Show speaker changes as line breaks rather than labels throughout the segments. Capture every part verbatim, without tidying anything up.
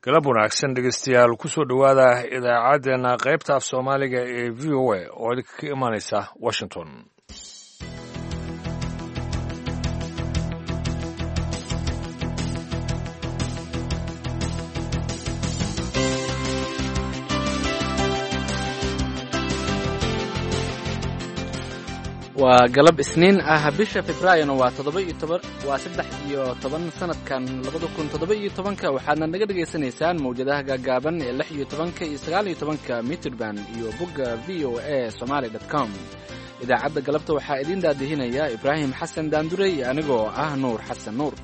Galab wanaagsan, dhegeystayaal, kusoo dhowaada idaacaddeenna qaybta af Soomaaliga ee V O A oo idinka ka imanaysa Washington.
Waa galab Isniin ah, bisha Februaarina waa toddoba iyo toban, waa saddex iyo toban sanadkan labada kun toddoba iyo tobanka. Waxaadna naga dhegaysanaysaan mawjadaha gaagaaban ee lix iyo tobanka iyo sagaal iyo tobanka mitirban iyo bogga V O A Somaly dot com. Idaacadda galabta waxaa idiin daadihinaya Ibraahim Xasan Daandurey iyo anigoo ah Nuur Xasan Nuur.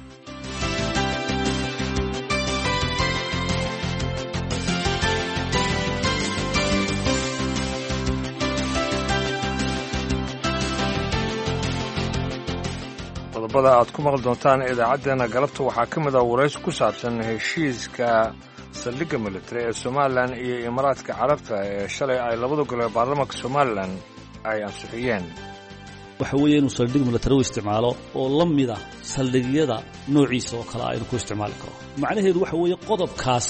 Qodobada aad ku maqli doontaan idaacaddeenna galabta waxaa ka mid ah waraysi ku saabsan heshiiska saldhigga military ee Somalilan iyo Imaaraadka Carabta ee shalay ay labada gole ee baarlamaanka Somalilan ay ansixiyeen.
Waxa weeye inuu saldhig military u isticmaalo oo la mid ah saldhigyada noociisa oo kale ah inuu ku isticmaali karo. Macnaheedu waxa weeye qodobkaas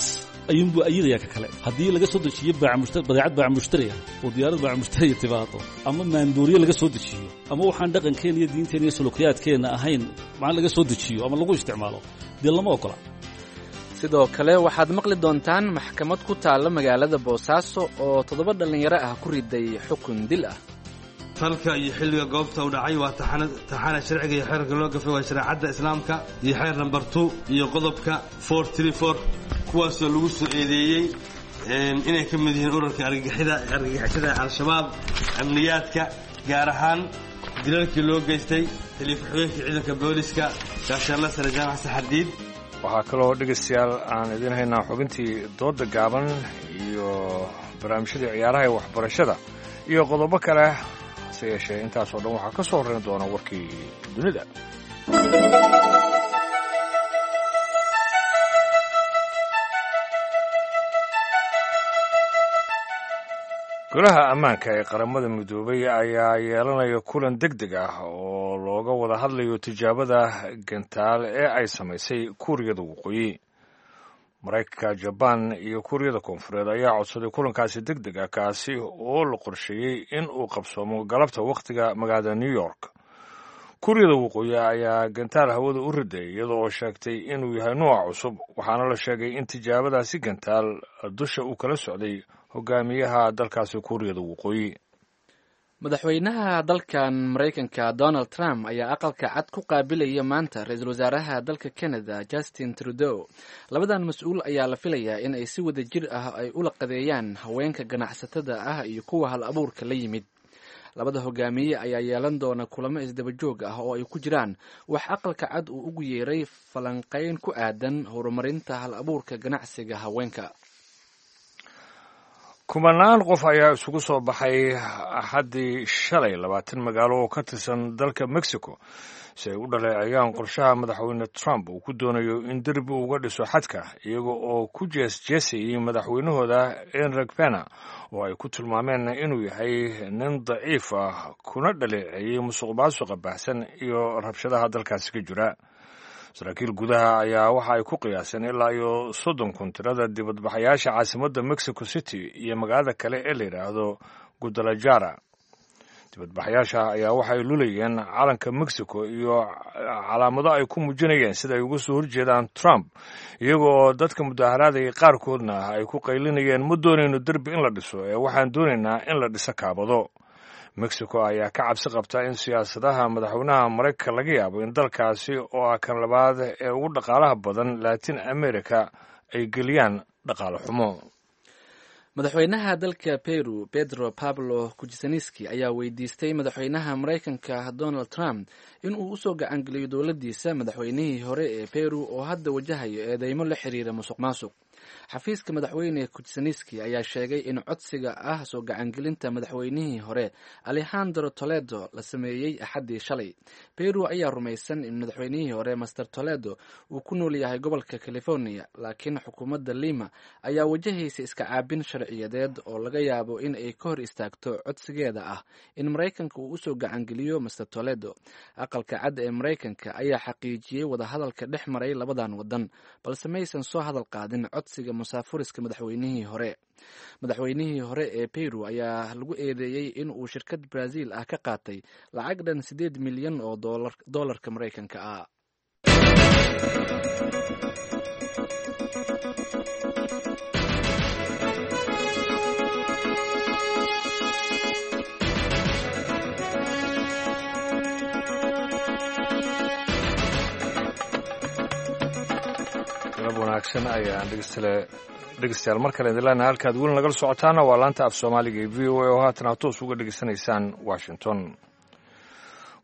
ayuunbuu ayidaya ka kale. Haddii laga soo dejiyo badeecad baac mushtariya oo diyaarad baac mushtariya timaado, ama maandooriye laga soo dejiyo, ama waxaan dhaqankeenna iyo diinteenna iyo sulukiyaadkeenna ahayn macna laga soo dejiyo ama lagu isticmaalo, dee lama ogola.
Sidoo kale waxaad maqli doontaan maxkamad ku taalla magaalada Boosaaso oo toddoba dhallinyaro ah ku riday xukun dil ah.
Falka iyo xilliga goobta u dhacay waa taxana sharciga iyo xeerka loo gafay waa shareecadda Islaamka iyo xeer namber two iyo qodobka four three four, kuwaasoo lagu soo eedeeyey inay ka mid yihiin ururka argagixida argagixisada Al-Shabaab, amniyaadka, gaar ahaan dilalkii loo geystay taliya ku-xigeenkii ciidanka booliska, gaashaanla sare Jaamac Saxardiid.
Waxaa kaloo, dhegeystayaal, aan idiin haynaa xubintii dooda gaaban iyo barnaamijyadii ciyaaraha ee waxbarashada iyo qodobo kale. Hase yeeshee, intaasoo dhan waxaa ka soo horreyn doona warkii dunida. Golaha Ammaanka ee Qaramada Midoobay ayaa yeelanaya kulan deg deg ah oo looga wada hadlayo tijaabada gantaal ee ay samaysay Kuuriyada Waqooyi. Maraykanka, Jabaan iyo Kuuriyada Koonfureed ayaa codsaday kulankaasi deg deg ah, kaasi oo la qorsheeyey in uu qabsoomo galabta wakhtiga magaalada New York. Kuuriyada Waqooyi ayaa gantaal hawada u riday, iyada oo sheegtay inuu yahay nuuca cusub, waxaana la sheegay in tijaabadaasi gantaal dusha uu kala socday hogaamiyaha dalkaasi Kuuriyada Waqooyi.
Madaxweynaha dalkan Maraykanka Donald Trump ayaa Aqalka Cad ku qaabilaya maanta ra-iisul wasaaraha dalka Canada Justin Trudeau. Labadan mas-uul ayaa la filayaa in ay si wada jir ah ay ula qadeeyaan haweenka ganacsatada ah iyo kuwa hal abuurka la yimid. Labada hogaamiye ayaa yeelan doona kulamo isdaba joog ah oo ay ku jiraan wax Aqalka Cad uu ugu yeeray falanqayn ku aadan horumarinta hal abuurka ganacsiga haweenka.
Kumanaan qof ayaa isugu soo baxay Axaddii shalay labaatan magaalo oo ka tirsan dalka Mexico si ay u dhaleeceeyaan qorshaha Madaxweyne Trump uu ku doonayo in derbi uga dhiso xadka, iyaga oo ku jees jeesayay madaxweynahooda Enrique Pena oo ay ku tilmaameen inuu yahay nin daciif ah, kuna dhaleeceeyey musuq maasuqa baahsan iyo rabshadaha dalkaasi ka jira. Saraakiil gudaha ayaa waxa ay ku qiyaaseen ilaa iyo soddon kun tirada dibadbaxayaasha caasimadda Mexico City iyo magaalada kale ee la yidhaahdo Guadalajara. Dibadbaxayaasha ayaa waxay lulayeen calanka Mexico iyo calaamado ay ku muujinayeen sida ay uga soo horjeedaan Trump, iyagoo dadka mudaharaadaya qaarkoodna ay ku qaylinayeen: "Ma doonayno derbi in la dhiso ee waxaan doonaynaa in la dhiso kaabado." Mexico ayaa ka cabsi qabta in siyaasadaha madaxweynaha Maraykanka laga yaabo in dalkaasi oo ah kan labaad ee ugu dhaqaalaha badan Latin America ay geliyaan dhaqaale xumo.
Madaxweynaha dalka Peru Pedro Pablo Kuczynski ayaa weydiistay madaxweynaha Maraykanka Donald Trump in uu usoo gacangeliyo dowladdiisa madaxweynihii hore ee Peru oo hadda wajahayo eedeymo la xiriira musuq maasuq. Xafiiska Madaxweyne Kuczynski ayaa sheegay in codsiga ah soo gacangelinta madaxweynihii hore Alejandro Toledo la sameeyey Axaddii shalay. Peru ayaa rumaysan in madaxweynihii hore Master Toledo uu ku nool yahay gobolka California, laakiin xukuumadda Lima ayaa wajahaysa iska caabin sharciyadeed oo laga yaabo in ay ka hor istaagto codsigeeda ah in Maraykanka uu usoo gacangeliyo Master Toledo. Aqalka Cad ee Maraykanka ayaa xaqiijiyey wadahadalka dhex maray labadan wadan, balse maysan soo hadal qaadin codsiga. codsiga musaafuriska madaxweynihii hore. Madaxweynihii hore ee Peru ayaa lagu eedeeyey in uu shirkad Brazil ah ka qaatay lacag dhan siddeed milyan oo doolarka Maraykanka ah.
Galab wanaagsan ayaan dhegeystayaal dhegeystayaal mar kale idin leenahay. Halkaad weli nagala socotaana waa laanta af Soomaaliga ee V O A oo haatan aad toos uga dhegeysanaysaan Washington.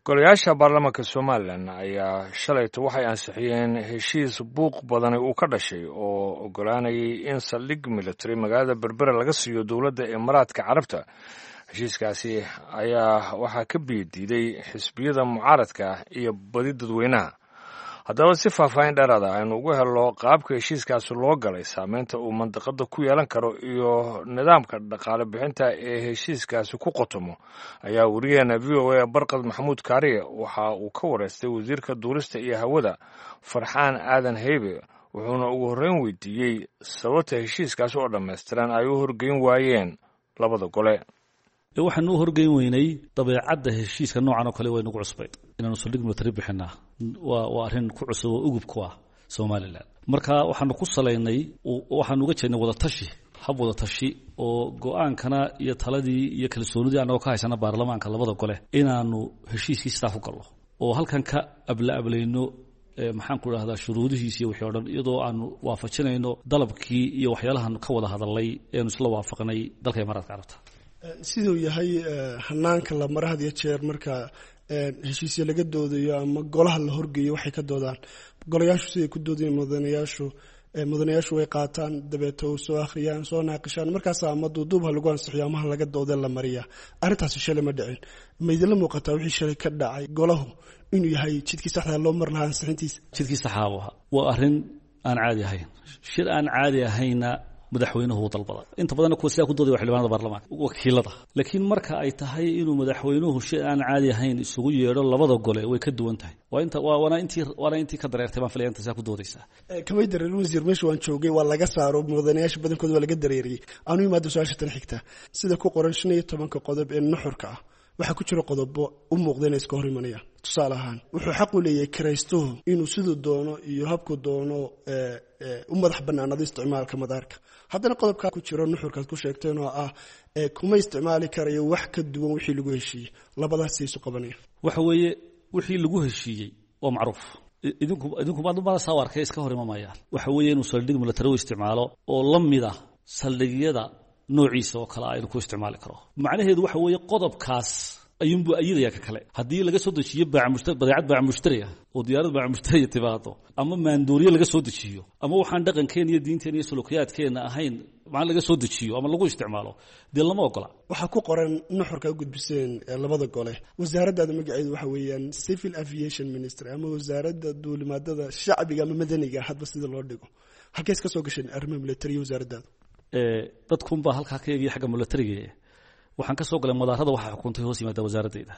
Golayaasha baarlamaanka Somalilan ayaa shalayto waxay ansixiyeen heshiis buuq badani uu ka dhashay oo ogolaanayay in saldhig military magaalada Berbera laga siiyo dowladda Imaaraadka Carabta. Heshiiskaasi ayaa waxaa ka biyadiiday xisbiyada mucaaradka iyo badi dadweynaha. Haddaba si faahfaahin dheeraada aynu ugu helno qaabka heshiiskaasi loo galay, saameynta uu mandiqada ku yeelan karo iyo nidaamka dhaqaale bixinta ee heshiiskaasi ku qotomo, ayaa wariyaheena V O A Barqad Maxamuud Kaariye waxa uu ka wareystay wasiirka duulista iyo hawada Farxaan Aadan Heybe, wuxuuna ugu horreyn weydiiyey sababta heshiiskaasi oo dhammaystiran ay u horgeyn waayeen labada gole.
Waxaanu u horgeyn weynay dabeecadda heshiiska noocan oo kale way nagu cusbayd. Inaanu saldhig military bixinaa waa waa arrin ku cusub oo ugub ku ah Somaliland. Marka waxaanu ku salaynay, waxaanu uga jeednay wadatashi, hab wadatashi oo go-aankana iyo taladii iyo kalsoonidii annagoo ka haysana baarlamaanka labada gole inaanu heshiiskii sidaa ku galno oo halkan ka abla ablayno, maxaan ku idhahdaa, shuruudihiis iyo wixii o dhan, iyadoo aanu waafajinayno dalabkii iyo waxyaalahan ka wada hadalnay eenu isla waafaqnay dalka Imaaraadka Carabta.
Siduu yahay hanaanka la mara had iyo jeer marka heshiisya laga doodayo ama golaha la horgeeyo, waxay ka doodaan golayaashu siday ku doodayeen mudanayaashu, mudanayaashu way qaataan, dabeeto soo akhriyaan, soo naaqishaan, markaas ama duuduub ha lagu ansixiyo ama ha laga doode la mariyaa. Arrintaasi shalay ma dhicin. Ma idinla muuqataa wixii shalay ka dhacay golahu inuu yahay jidkii saxdaa loo mar lahaa ansixintiisa?
Jidkii saxaabu ahaa. Waa arrin aan caadi ahayn, shir aan caadi ahayna madaxweynuhu u dalbada. Inta badanna kuwa sidaa ku doodaya waa xildhibaanada baarlamaanka wakiilada, laakiin marka ay tahay inuu madaxweynuhu shir aan caadi ahayn isugu yeedho labada gole way ka duwan tahay. Waa inta waa waana intii waana intii ka dareertay baan filaya inta sidaa ku doodaysaa.
Kamay dareerin wasiir, meesha waan joogay waa laga saaro mudanayaasha badankooda, waa laga dareeriyey. Aanu imaado su-aasha tan xigta. Sida ku qoran shan iyo tobanka qodob ee nuxurka ah, waxaa ku jira qodobo u muuqda inay iska hor imanayaan. Tusaale ahaan, wuxuu xaq u leeyahay kiraystuhu inuu siduu doono iyo habku doono u madax banaanado isticmaalka madaarka. Haddana qodobkaa ku jiro nuxurkaad ku sheegteen oo ah kuma isticmaali karayo wax ka duwan wixii lagu heshiiyey, labadaas isu qabanaya.
Waxa weeye wixii lagu heshiiyey waa macruuf. Idinku idinku maadumada saa u arkay iska hor imamayaan. Waxa weeye inuu saldhig military u isticmaalo oo la mid ah saldhigyada noociisa oo kale ah inuu ku isticmaali karo. Macnaheedu waxa weeye qodobkaas ayuunbuu ayidaya ka kale. Haddii laga soo dejiyo badeecad baac mushtariya oo diyaarad baac mushtariya timaado, ama maandooriye laga soo dejiyo, ama waxaan dhaqankeena iyo diinteena iyo sulukiyaadkeena ahayn macna laga soo dejiyo ama lagu isticmaalo, dee lama ogola.
Waxaa ku qoran nuxurka u gudbiseen labada gole, wasaaraddaada magaceedu waxa weeyaan Civil Aviation Ministry ama wasaaradda duulimaadada shacbiga ama madaniga, hadba sida loo dhigo. Halkees ka soo gasheen arrimaha militariya wasaaraddaada?
Dadkunbaa halkaa ka eegaya xagga militariga. Waxaan ka soo galay madaarada waxaa xukuntay hoos yimaada wasaaradeyda.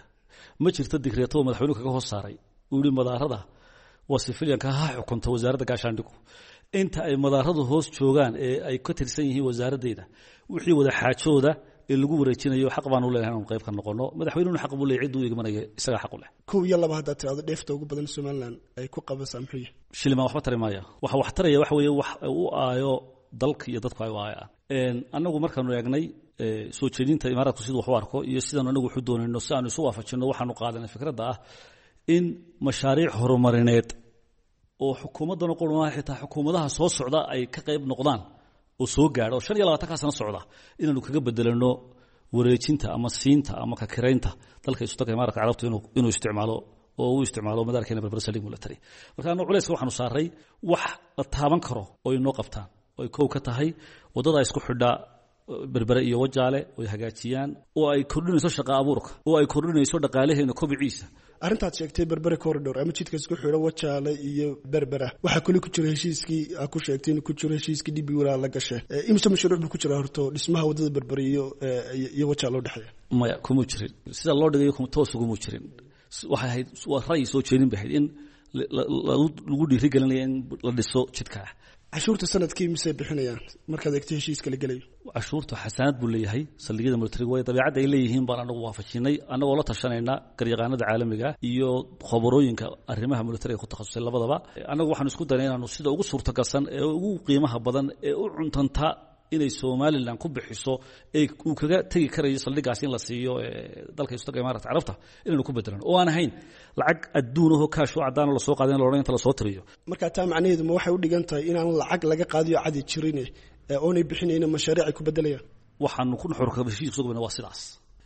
Ma jirto digreeto oo madaxweynuhu kaga hoos saaray uu yihi madaarada waa sifiliyanka ha xukunta wasaaradda gaashaandhigu. Inta ay madaaradu hoos joogaan ee ay ka tirsan yihiin wasaaradeyda, wixii wada xaajooda ee lagu wareejinayo xaq baan u leenahay inaanu qayb ka noqono. Madaxweynuhuna xaq buu leeyahay, cidduu igmanaya isagaa xaq u leh.
Kow iyo laba haddaad tirahdo, dheefta ugu badan Somaliland ay ku qabasaa muxuu yahay?
Shilimaan waxba tari maaya. Waxa wax taraya waxa weeye wax u aayo dalka iyo dadku ay u aayaan. Annagu markaanu eegnay soo jeedinta Imaaraadku siduu wax u arko iyo sidaanu anagu waxu doonayno, si aanu isu waafajinno, waxaanu qaadanay fikradda ah in mashaariic horumarineed oo xukuumaddan qurmaha xitaa xukuumadaha soo socda ay ka qayb noqdaan oo soo gaadho oo shan iyo labaatankaa sano socda inaanu kaga bedelano wareejinta ama siinta ama kakiraynta dalka isu-tagga Imaaraadka Carabtu inuu inuu isticmaalo oo uu isticmaalo madaarkeena Berbera saldhig military. Marka annagu culayska waxaanu saaray wax la taaban karo oo inoo qabtaan, oo ay kow ka tahay waddada isku xidhaa Berbere iyo Wajaale oo ay hagaajiyaan, oo ay kordhinayso shaqa abuurka, oo ay kordhinayso dhaqaalaheena kobiciisa.
Arrintaad sheegtay Berbera corridor ama jidka isku xidho Wajaale iyo Berbera waxaa kuli ku jira heshiiskii aa ku sheegtay inuu ku jiro heshiiskii D B walaa la gashay. Imise mashruuc buu ku jira horto dhismaha waddada Berbere iyo iyo Wajaale u dhexeeya?
Maya, kuma jirin. Sida loo dhigayo toos uguma jirin. Waxay ahayd waa ra'yi soo jeedin bay ahayd in lagu dhiirigelinaya in la dhiso jidka.
Cashuurta sanadkii misey bixinayaan markaad eegto heshiiska la gelayo?
Cashuurtu xasaanad buu leeyahay saldhigyada militariga, waayo dabeecadda ay leeyihiin baan anagu waafajinay, annagoo la tashanayna garyaqaanada caalamiga iyo khabarooyinka arrimaha militariga ku takhasusay labadaba. Annagu waxaanu isku daynay inaanu sida ugu suurtagalsan ee ugu qiimaha badan ee u cuntanta inay Somaliland ku bixiso ee uu kaga tegi karayo saldhigaas in la siiyo dalka Istaga Imaaraadka Carabta inaynu ku bedelan, oo aan ahayn lacag adduun oo kaash oo cadaan la soo qaadan la oran inta la soo tiriyo.
Marka taa macnaheedu ma waxay u dhigan tahay inaan lacag laga qaadiyo cadi jirin ee oonay bixinayna mashaariic ay ku bedelayaan?
Waxaanu ku nuxurka heshiis soo gudbina waa sidaas.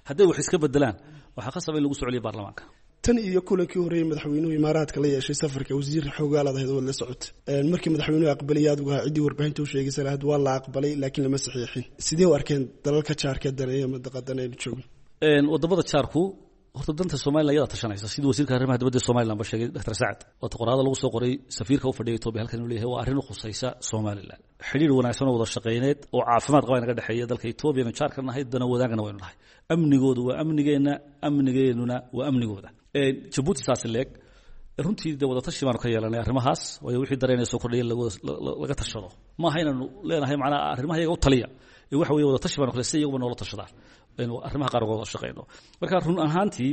Hadday wax iska bedelaan waxaa khasab in lagu soo celiyo baarlamaanka.
Tan iyo kulankii horeeyay madaxweynuhu imaaraadka la yeeshay safarka wasiir xoogaalaad ahayd oo la socotay, markii madaxweynuhu aqbalay aad uga ciddii warbaahinta u sheegaysa lahayd waa la aqbalay laakiin lama saxiixin. Sidee u arkeen dalalka jaarka daneeya madaqadan aynu joogno?
Wadamada jaarku horta danta Somaliland iyada tashanaysa, sidii wasiirka arrimaha dibadda ee Somaliland ba sheegay Doctor Sacad. Waata qoraada lagu soo qoray safiirka u fadhiya Ethiopia halkan uu leeyahay waa arrin u khusaysa Somaliland. Xiriir wanaagsan oo wada shaqeyneed oo caafimaad qaba inaga dhexeeya dalka Ethiopia oo jaarka nahay dana wadaagana waynu nahay. Amnigoodu waa amnigeena, amnigeennuna waa amnigooda. Ee Djibouti saas leeg runtii de wada tashi baanu ka yeelanay arrimahaas, waayo wixii dareenay soo kordhiyay laga tashado. Ma aha inaanu leenahay macnaha arrimaha iyaga u taliya, ee waxa weeye wada tashi baanu kale si iyaguba noola tashadaan aynu arrimaha qaar uga wada shaqeyno. Marka run ahaantii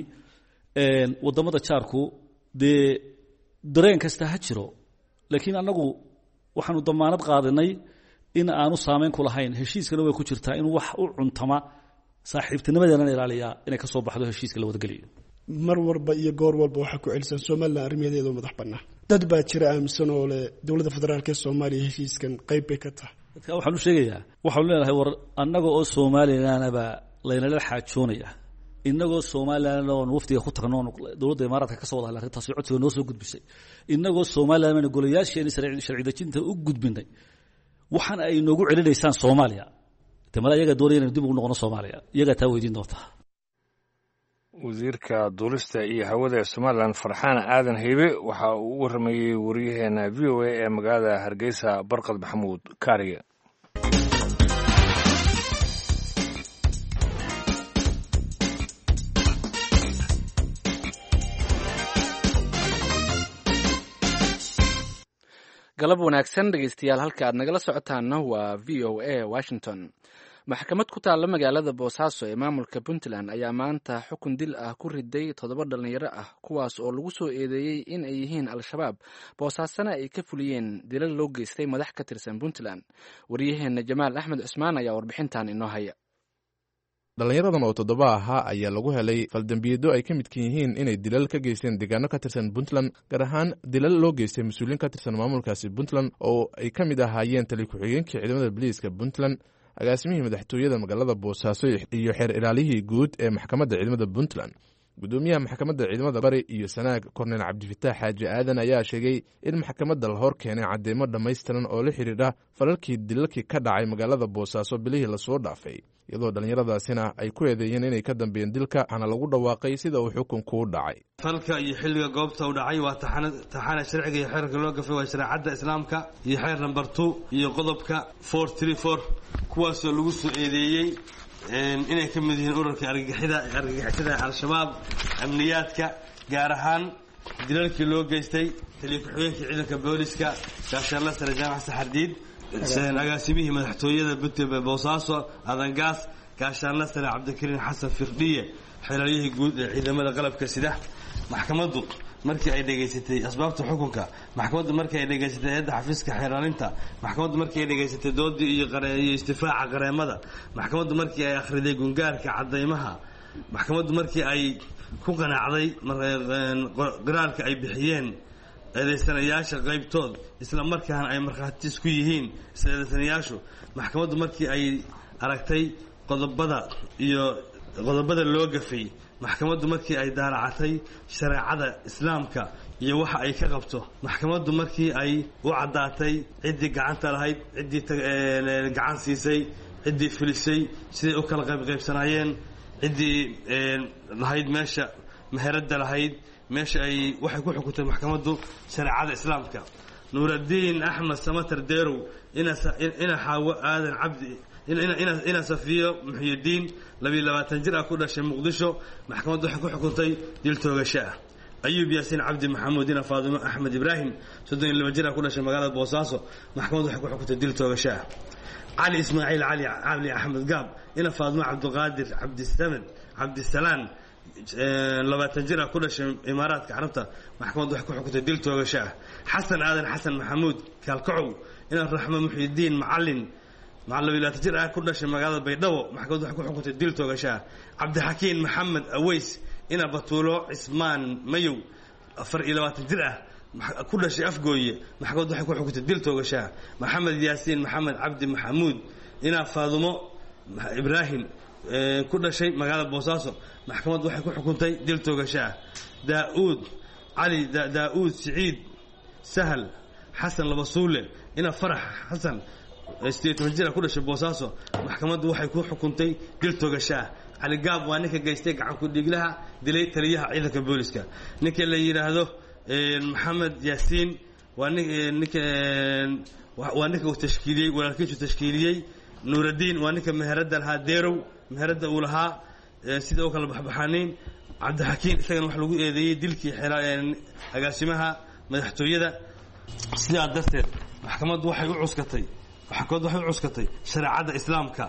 een wadamada jaarku dee dareen kasta ha jiro, laakiin annagu waxaanu damaanad qaadanay in aanu saameyn ku lahayn. Heshiiskana way ku jirtaa in wax u cuntama saaxiibtinimadeena ilaaliyaa inay ka soo baxdo heshiiska la wadageliyo.
Mar walba iyo goor walba waxaa ku celisan Somaliland arrimaheeda madax bannaan. Dad baa jira aaminsan oo leh dowladda federaalka ee Soomaaliya heshiiskan qayb bay ka tahay.
Dadka waxaan u sheegayaa, waxaanu leenahay war annaga oo Somalilandaba laynala xaajoonaya, innagoo Somaliland oo wafdiga ku tagno dowladda Imaaraadka ka soo wada hadlay arrintaasi codsiga noo soo gudbisay, innagoo Somaliland aynu golayaasheena sharci dejinta u gudbinay, waxaan ay noogu celinaysaan Soomaaliya. Tamada iyaga doonaya inaynu dib ugu noqono Soomaaliya, iyagaa taa weydiin doontaa.
Wasiirka duulista iyo hawada ee Somaliland Farxaan Aadan Heybe waxa uu u warramayey wariyaheena V O A ee magaalada Hargeysa Barqad Maxamuud Kaariye.
Galab wanaagsan dhegeystayaal, halka aad nagala socotaana waa V O A Washington. Maxkamad ku taalla magaalada Boosaaso ee maamulka Puntland ayaa maanta xukun dil ah ku riday toddoba dhalinyaro ah, kuwaas oo lagu soo eedeeyey in ay yihiin Al-Shabaab, Boosaasana ay ka fuliyeen dilal loo geystay madax ka tirsan Puntland. Waryaheena Jamaal Axmed Cusmaan ayaa warbixintan inoo haya.
Dhallinyaradan oo toddoba ahaa ayaa lagu helay faldambiyeedyo ay ka midkan yihiin inay dilal ka geysteen deegaano ka tirsan Puntland, gaar ahaan dilal loo geystay mas-uuliyiin ka tirsan maamulkaasi Puntland oo ay ka mid ahaayeen tali ku-xigeenkii ciidamada biliiska Puntland, agaasimihii madaxtooyada magaalada Boosaaso iyo xeer ilaalihii guud ee maxkamadda ciidamada Puntland. Gudoomiyaha maxkamadda ciidamada bari iyo sanaag Korneyl Cabdifataax Xaaji Aadan ayaa sheegay in maxkamadda la hor keenay cadeymo dhammaystiran oo la xidhiidha falalkii dilalkii ka dhacay magaalada Boosaaso bilihii lasoo dhaafay, iyadoo dhallinyaradaasina ay ku eedeeyeen inay ka dambeeyeen dilka, waxaana lagu dhawaaqay sida uu xukunku u dhacay.
Falka iyo xilliga goobta u dhacay waa taxana sharciga iyo xeerka loo gafay waa shareecadda islaamka iyo xeer namber two iyo qodobka four three four, kuwaasoo lagu soo eedeeyey inay ka mid yihiin ururka argagixida argagixisada Al-Shabaab, amniyaadka, gaar ahaan dilalkii loo geystay taliya ku-xigeenkii ciidanka booliska gaashaanle sare Jaamac Saxardiid, agaasimihii madaxtooyada Puntland Boosaaso Adangaas, gaashaanle sare Cabdikariin Xasan Firdhiye, xeelaliyihii guud ee ciidamada qalabka sida. Maxkamaddu markii ay dhegaysatay asbaabta xukunka, maxkamaddu markii ay dhegaysatay hay'adda xafiiska xeeraalinta, maxkamaddu markii ay dhegaysatay doodii iyo iyo istifaaca qareemada, maxkamaddu markii ay akhriday gungaarka caddaymaha, maxkamaddu markii ay ku qanacday qiraarka ay bixiyeen eedeysanayaasha qaybtood isla markaana ay markhaati isku yihiin isla eedeysanayaashu, maxkamaddu markii ay aragtay qodobada iyo qodobada loo gafay, maxkamaddu markii ay daalacatay shareecada islaamka iyo waxa ay ka qabto, maxkamaddu markii ay u caddaatay ciddii gacanta lahayd, ciddii gacan siisay, ciddii filisay, siday u kala qaybqaybsanaayeen, ciddii lahayd meesha meheradda lahayd, meesha ay waxay ku xukuntay maxkamaddu shareecada islaamka. Nuuraddiin Axmed Samatar Deerow, ina Xaawo Aadan Cabdi, ina Safiyo Muxyidiin, labiyo labaatan jir ah, ku dhashay Muqdisho, maxkamaddu waxay ku xukuntay dil toogasho ah. Ayuub Yaasiin Cabdi Maxamuud ina Faadimo Axmed Ibraahim, soddon iyo laba jir ah, ku dhashay magaalada Boosaaso, maxkamaddu waxay ku xukuntay dil toogasho ah. Cali Ismaaciil Cali Cabdi Axmed Gaab ina Faadimo Cabdiqaadir Cabdisamed Cabdisalaan, labaatan jir ah, ku dhashay Imaaraadka Carabta, maxkamaddu waxay ku xukuntay dil toogasho ah. Xasan Aadan Xasan Maxamuud Kaalkacow ina Raxmo Muxyidiin Macalin, labaatan jir ah, ku dhashay magaalada Baydhabo, maxkamaddu waxay ku xukuntay dil toogasho ah. Cabdixakiin Maxamed Aweys ina Batuulo Cismaan Mayow, afar iyo labaatan jir ah, ku dhashay Afgooye, maxkamaddu waxay ku xukuntay dil toogasho ah. Maxamed Yaasiin Maxamed Cabdi Maxamuud ina Faadumo Ibraahim, ku dhashay magaalada Boosaaso, maxkamaddu waxay ku xukuntay dil toogasho ah. Daauud Cali Daa'uud Siciid Sahal Xasan Labasuule ina Farax Xasan, sideed toban jir ah, ku dhashay Boosaaso, maxkamaddu waxay ku xukuntay dil toogasho ah. Cali Gaab waa ninka geystay gacan ku-dhiiglaha dilay taliyaha ciidanka booliska. Ninka la yidhaahdo Maxamed Yaasiin waa ninka waa ninka uu tashkiiliyey walaalkiisu tashkiiliyey. Nuuraddiin waa ninka meheradda lahaa, Deerow meheradda uu lahaa, sida u kala baxbaxaanayn. Cabdixakiin isagana wax lagu eedeeyey dilkii agaasimaha madaxtooyada. Sidaa darteed maxkamaddu waxay u cuskatay maxkamaddu waxay u cuskatay shareecadda Islaamka,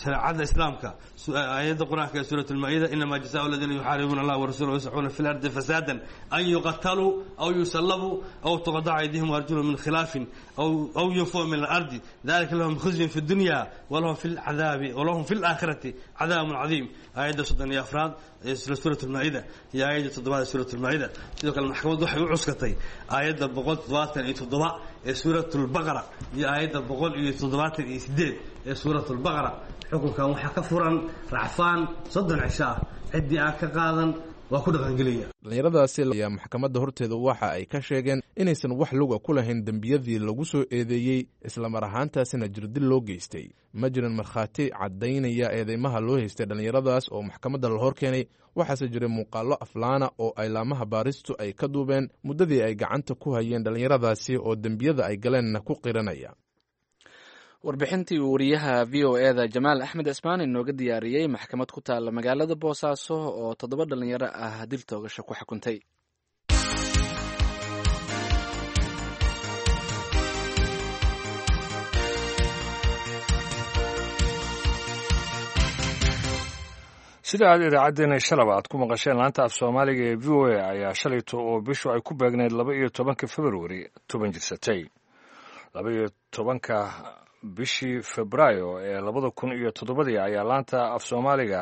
shareecada Islaamka, aayadda Qur-aanka ee suurat Almaa-ida: "Inamaa jazaau aladiina yuxaaribuuna Allah warasulahu yascuuna fi lardi fasaadan an yuqataluu aw yusallabuu aw tuqadaca aydihim waarjulhum min khilaafin aw yunfuu min alardi, dalika lahum khizyun fi dunya walahum fi lcadaabi walahum fi laakhirati cadaabun cadiim." Aayadda soddon iyo afraad ee suurat Almaa-ida iyo aayadda toddobaad ee suurat Almaa-ida. Sidoo kale maxkamaddu waxay u cuskatay aayadda boqol toddobaatan iyo toddoba ee suurat Albaqara iyo aayadda boqol iyo toddobaatan iyo sideed ee suurat Albaqara. Xukunkan waxaa ka furan racfaan soddon cisho ah, ciddii aan ka qaadan waa ku dhaqangelaya.
Dhallinyaradaasi ayaa maxkamadda horteeda waxa ay ka sheegeen inaysan wax luga ku lahayn dembiyadii lagu soo eedeeyey, islamar ahaantaasina jirdil loo geystay. Ma jirin markhaati caddaynaya eedeymaha loo haystay dhallinyaradaas oo maxkamadda la hor keenay, waxaase jiray muuqaallo aflaana oo ay laamaha baaristu ay ka duubeen muddadii ay gacanta ku hayeen dhallinyaradaasi oo dembiyada ay galeenna ku qiranaya.
Warbixintii uu wariyaha V O E da Jamaal Axmed Cismaan inooga diyaariyey maxkamad ku taalla magaalada Boosaaso oo toddoba dhalinyaro ah dil toogasho ku xukuntay.
Sida aad idaacaddeenna shalaba aad ku maqasheen, laanta af Soomaaliga ee V O A ayaa shalayto oo bishu ay ku beegnayd laba iyo tobanka Februari toban jirsatay. Laba iyo tobanka bishii Febraayo ee labada kun iyo toddobadii ayaa laanta af Soomaaliga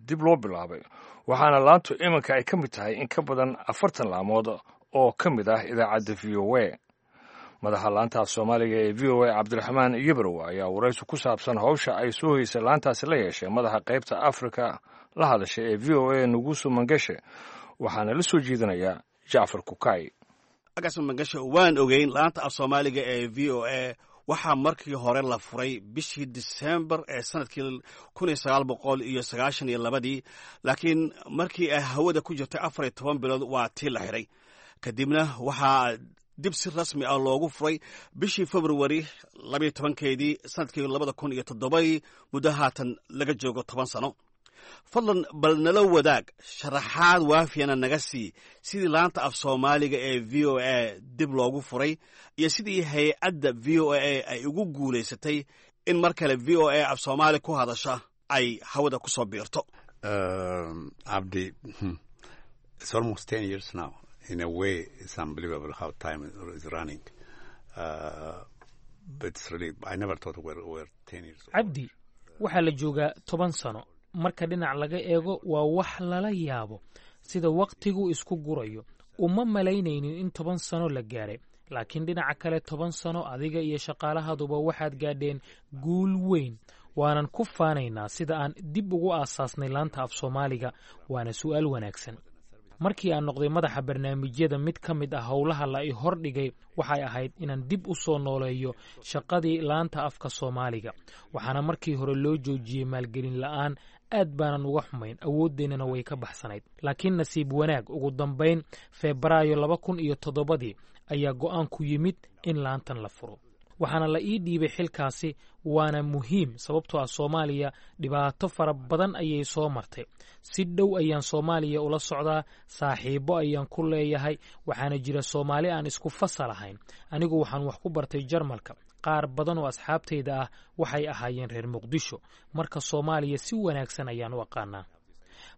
dib loo bilaabay, waxaana laantu iminka ay ka mid tahay in ka badan afartan laamood oo ka mid ah idaacadda V O A. Madaxa laanta af Soomaaliga ee V O A, Cabdiraxmaan Yebrow, ayaa waraysi ku saabsan howsha ay soo heysay laantaasi la yeeshay madaxa qaybta Afrika la hadashay ee V O A, Nugusu Mangeshe, waxaana la soo jeedinayaa Jacfar Kukay.
Agaasma Mangeshe, waan ogeyn laanta af Soomaaliga ee V O A waxaa markii hore la furay bishii Disembar ee sanadkii kun iyo sagaal boqol iyo sagaashan iyo labadii, laakiin markii ay hawada ku jirtay afar iyo toban bilood waa tii la xiray. Kadibna waxaa dib si rasmi ah loogu furay bishii Februari labayo tobankeedii sanadkii labada kun iyo toddobadii, muddo haatan laga joogo toban sano. Fadlan bal nala wadaag sharaxaad waafiyana naga sii sidii laanta af Soomaaliga ee V O A dib loogu furay iyo sidii hay-adda V O A ay ugu guulaysatay in mar kale V O A af Soomaali ku hadasha ay hawada ku soo biirto.
Abdi, it's almost ten years now. In a way, it's unbelievable how time is running. Uh, but it's really, I never thought we're, we're ten years old.
Cabdi, waxaa la joogaa toban sano. Marka dhinac laga eego, waa wax lala yaabo sida wakhtigu isku gurayo. Uma malaynaynin in toban sano la gaaray, laakiin dhinaca kale, toban sano adiga iyo shaqaalahaduba waxaad gaadheen guul weyn, waanan ku faanaynaa sida aan dib ugu aasaasnay laanta af Soomaaliga. Waana su'aal wanaagsan. Markii aan noqday madaxa barnaamijyada, mid ka mid ah howlaha la i hordhigay waxay ahayd inaan dib u soo nooleeyo shaqadii laanta afka Soomaaliga, waxaana markii hore loo joojiyey maalgelin la'aan. Aad baanan uga xumayn, awooddeennana way ka baxsanayd, laakiin nasiib wanaag ugu dambayn Febraayo laba kun iyo toddobadii ayaa go'aan ku yimid in laantan la furo. Waxaana la ii dhiibay xilkaasi, waana muhiim, sababtoo ah Soomaaliya dhibaato fara badan ayay soo martay. Si dhow ayaan Soomaaliya ula socdaa, saaxiibbo ayaan ku leeyahay, waxaana jira Soomaali aan isku fasal ahayn. Anigu waxaan wax ku bartay Jarmalka. Qaar badan oo asxaabtayda ah waxay ahaayeen reer Muqdisho. Marka Soomaaliya si wanaagsan ayaan u aqaanaa.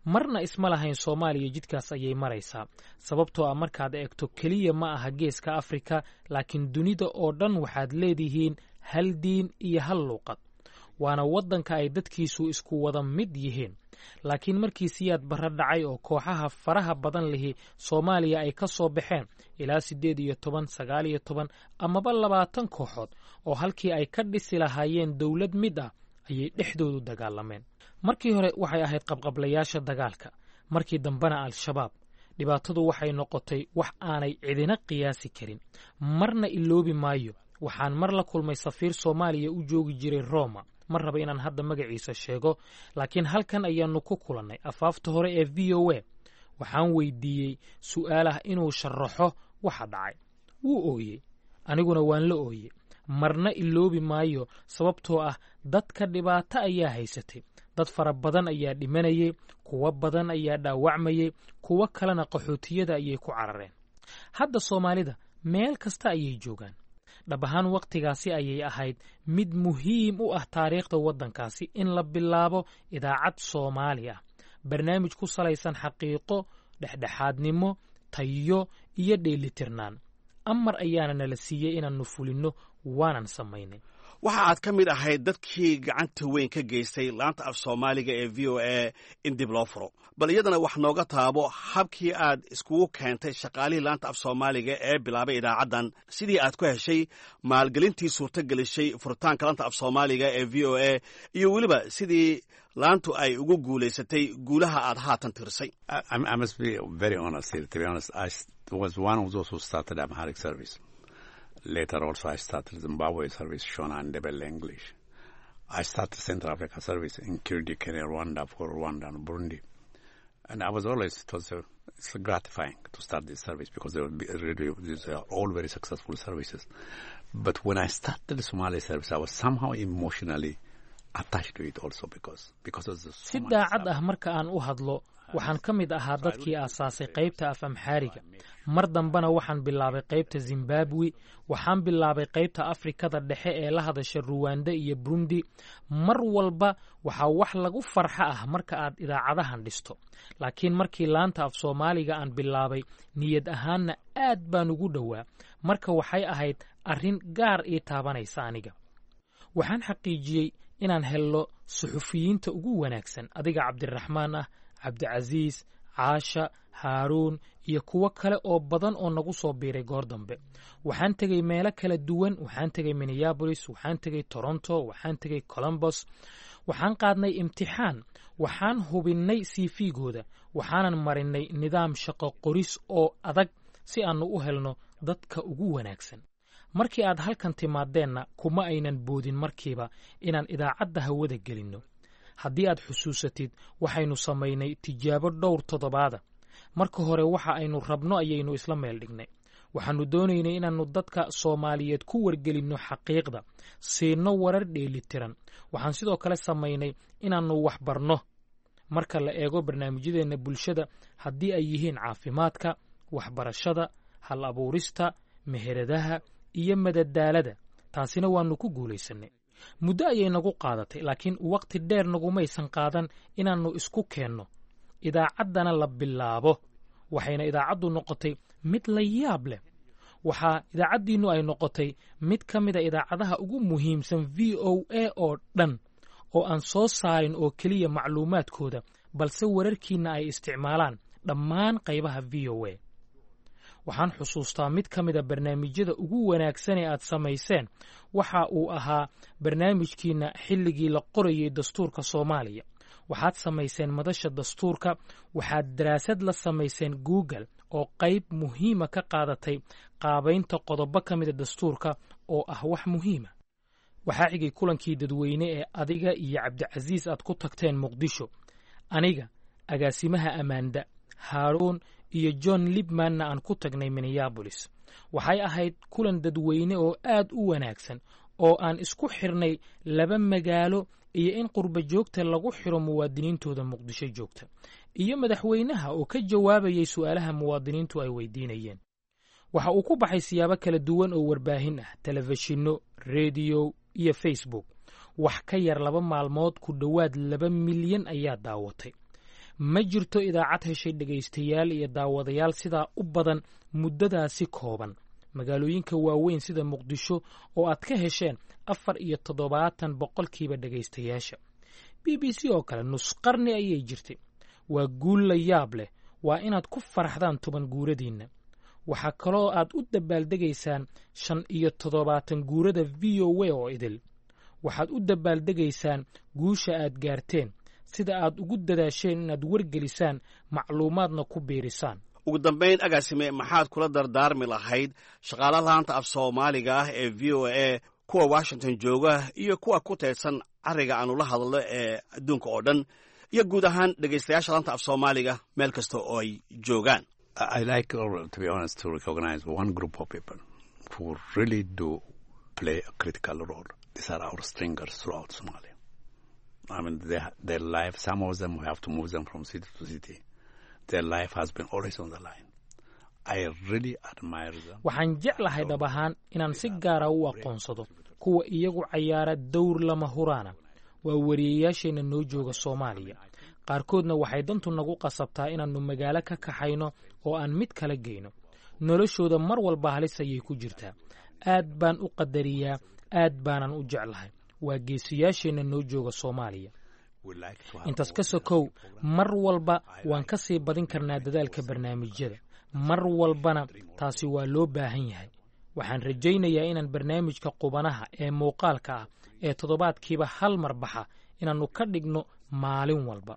Marna isma lahayn Soomaaliya jidkaas ayay maraysaa, sababtoo ah markaad eegto keliya ma aha Geeska Afrika, laakiin dunida oo dhan waxaad leedihiin hal diin iyo hal luuqad, waana waddanka ay dadkiisu isku wada mid yihiin. Laakiin markii Siyaad Barre dhacay oo kooxaha faraha badan lihi Soomaaliya ay ka soo baxeen, ilaa siddeed iyo toban, sagaal iyo toban amaba labaatan kooxood, oo halkii ay ka dhisi lahaayeen dowlad mid ah ayay dhexdoodu dagaalameen. Markii hore waxay ahayd qabqablayaasha dagaalka, markii dambena Al-Shabaab. Dhibaatadu waxay noqotay wax aanay cidina qiyaasi karin. Marna iloobi maayo, waxaan mar la kulmay safiir Soomaaliya u joogi jiray Roma. Ma raba inaan hadda magaciisa sheego, laakiin halkan ayaannu ku kulannay afaafta hore ee V O A. Waxaan weydiiyey su'aalah inuu sharaxo waxa dhacay. Wuu ooyey, aniguna waan la ooyey. Marna iloobi maayo, sababtoo ah dadka dhibaato ayaa haysatay. Dad fara badan ayaa dhimanayay, kuwo badan ayaa dhaawacmayay, kuwo kalena qaxootiyada ayay ku carareen. Hadda Soomaalida meel kasta ayay joogaan. Dhab ahaan wakhtigaasi ayay ahayd mid muhiim u ah taariikhda waddankaasi in la bilaabo idaacad Soomaali ah, barnaamij ku salaysan xaqiiqo, dhexdhexaadnimo, tayo iyo dheelitirnaan. Amar ayaana nala siiyey inaannu fulinno, waanan samaynay.
Waxa aad ka mid ahayd dadkii gacanta weyn ka geystay laanta af Soomaaliga ee V O A in dib loo furo. Bal iyadana wax nooga taabo habkii aad iskugu keentay shaqaalihii laanta af Soomaaliga ee bilaabay idaacaddan, sidii aad ku heshay maalgelintii suurto gelishay furitaanka laanta af Soomaaliga ee V O A, iyo weliba sidii laantu ay ugu guulaysatay guulaha aad haatan tirisay.
I must be very honest here. To be honest, I was one of those who started Amharic service. Later also I started Zimbabwe service, Shona and Ndebele English. I started Central Africa service in Kirundi, Kenya, Rwanda for Rwanda and Burundi. And I was always, it was a, it's gratifying to start this service because they were really, these are all very successful services. But when I started the Somali service, I was somehow emotionally attached to it also because, because of the
Si daacad ah marka aan u hadlo, waxaan ka mid ahaa dadkii aasaasay qaybta af Amxaariga. Mar dambena waxaan bilaabay qaybta Zimbabwe. Waxaan bilaabay qaybta Afrikada Dhexe ee la hadasha Ruwanda iyo Burundi. Mar walba waxaa wax lagu farxo ah marka aad idaacadahan dhisto, laakiin markii laanta af Soomaaliga aan bilaabay, niyad ahaanna aad baan ugu dhowaa. Marka waxay ahayd arrin gaar ii taabanaysa aniga. Waxaan xaqiijiyey inaan helno suxufiyiinta ugu wanaagsan, adiga Cabdiraxmaan ah, Cabdicasiis, Caasha, Haaruun iyo kuwo kale oo badan oo nagu soo biiray goor dambe. Waxaan tegey meelo kala duwan. Waxaan tegey Minneapolis, waxaan tegey Toronto, waxaan tegey Columbus. Waxaan qaadnay imtixaan, waxaan hubinnay C V-gooda, waxaanan marinay nidaam shaqo qoris oo adag si aannu u helno dadka ugu wanaagsan. Markii aad halkan timaadeenna, kuma aynan boodin markiiba inaan idaacadda hawada gelinno. Haddii aad xusuusatid, waxaynu samaynay tijaabo dhowr toddobaada. Marka hore waxa aynu rabno ayaynu isla meel dhignay. Waxaannu doonaynay inaannu dadka Soomaaliyeed ku wargelinno xaqiiqda, siinno warar dheelitiran. Waxaan sidoo kale samaynay inaannu wax barno marka la eego barnaamijyadeenna bulshada, haddii ay yihiin caafimaadka, waxbarashada, hal abuurista, meheradaha iyo madadaalada. Taasina waannu ku guulaysanay. Muddo ayay nagu qaadatay, laakiin waqti dheer nagumaysan qaadan inaannu isku keenno, idaacaddana la bilaabo. Waxayna idaacaddu noqotay mid la yaab leh. Waxaa idaacaddiinnu ay noqotay mid ka mida idaacadaha ugu muhiimsan V O A oo dhan, oo aan soo saarin oo keliya macluumaadkooda, balse wararkiinna ay isticmaalaan dhammaan qaybaha V O A. Waxaan xusuustaa mid ka mida barnaamijyada ugu wanaagsan ee aad samayseen waxa uu ahaa barnaamijkiinna xilligii la qorayey dastuurka Soomaaliya. Waxaad samayseen madasha dastuurka, waxaad daraasad la samayseen Google oo qayb muhiima ka qaadatay qaabaynta qodobo ka mida dastuurka oo ah wax muhiima. Waxaa xigay kulankii dadweyne ee adiga iyo Cabdicasiis aad ku tagteen Muqdisho. Aniga, agaasimaha Amanda, Haaruun iyo John Libmanna aan ku tagnay Minneabolis. Waxay ahayd kulan dadweyne oo aad u wanaagsan oo aan isku xirnay laba magaalo iyo in qurba joogta lagu xiro muwaadiniintooda Muqdisho joogta iyo madaxweynaha oo ka jawaabayay su'aalaha muwaadiniintu ay weydiinayeen. Waxa uu ku baxay siyaabo kala duwan oo warbaahin ah, telefishinno, rediyo iyo Facebook. Wax ka yar laba maalmood ku dhowaad laba milyan ayaa daawatay. Ma jirto idaacad heshay dhegaystayaal iyo daawadayaal sidaa u badan muddadaasi kooban. Magaalooyinka waaweyn sida Muqdisho oo aad ka hesheen afar iyo toddobaatan boqolkiiba dhegaystayaasha. B B C oo kale nus qarni ayay jirtay. Waa guul la yaab leh. Waa inaad ku faraxdaan toban guuradiinna. Waxaa kaloo aad u dabaaldegaysaan shan iyo toddobaatan guurada V O A oo idil. Waxaad u dabaaldegaysaan guusha aad gaarteen, sida aad ugu dadaasheen inaad wargelisaan, macluumaadna ku biirisaan.
Ugu dambayn, agaasime, maxaad kula dardaarmi lahayd shaqaala laanta af Soomaaliga ah ee V O A, kuwa Washington jooga iyo kuwa ku teedsan cariga aanu la hadlo ee adduunka oo dhan, iyo guud ahaan dhegaystayaasha laanta af Soomaaliga meel kasta oo ay joogaan?
I like, to be honest, to recognize one group of people who really do play a critical role. These are our stringers throughout Somalia. I mean, their, their life, some of them, we have to move them from city to city. Their life has been always on the line. I really admire them.
Waxaan jeclahay dhab ahaan inaan si gaara u aqoonsado kuwa iyagu cayaara dowr lama huraana. Waa wariyeyaasheenna noo jooga Soomaaliya. Qaarkoodna waxay dantu nagu qasabtaa inaannu magaalo ka kaxayno oo aan mid kala geyno. Noloshooda mar walba halis ayay ku jirtaa. Aad baan u qadariyaa, aad baanan u jeclahay. Waa geesiyaasheenna noo jooga Soomaaliya. Intaas ka sokow, mar walba waan ka sii badin karnaa dadaalka barnaamijyada, mar walbana taasi waa loo baahan yahay. Waxaan rajaynayaa inaan barnaamijka qubanaha ee muuqaalka ah ee toddobaadkiiba hal mar baxa inaannu ka dhigno maalin walba.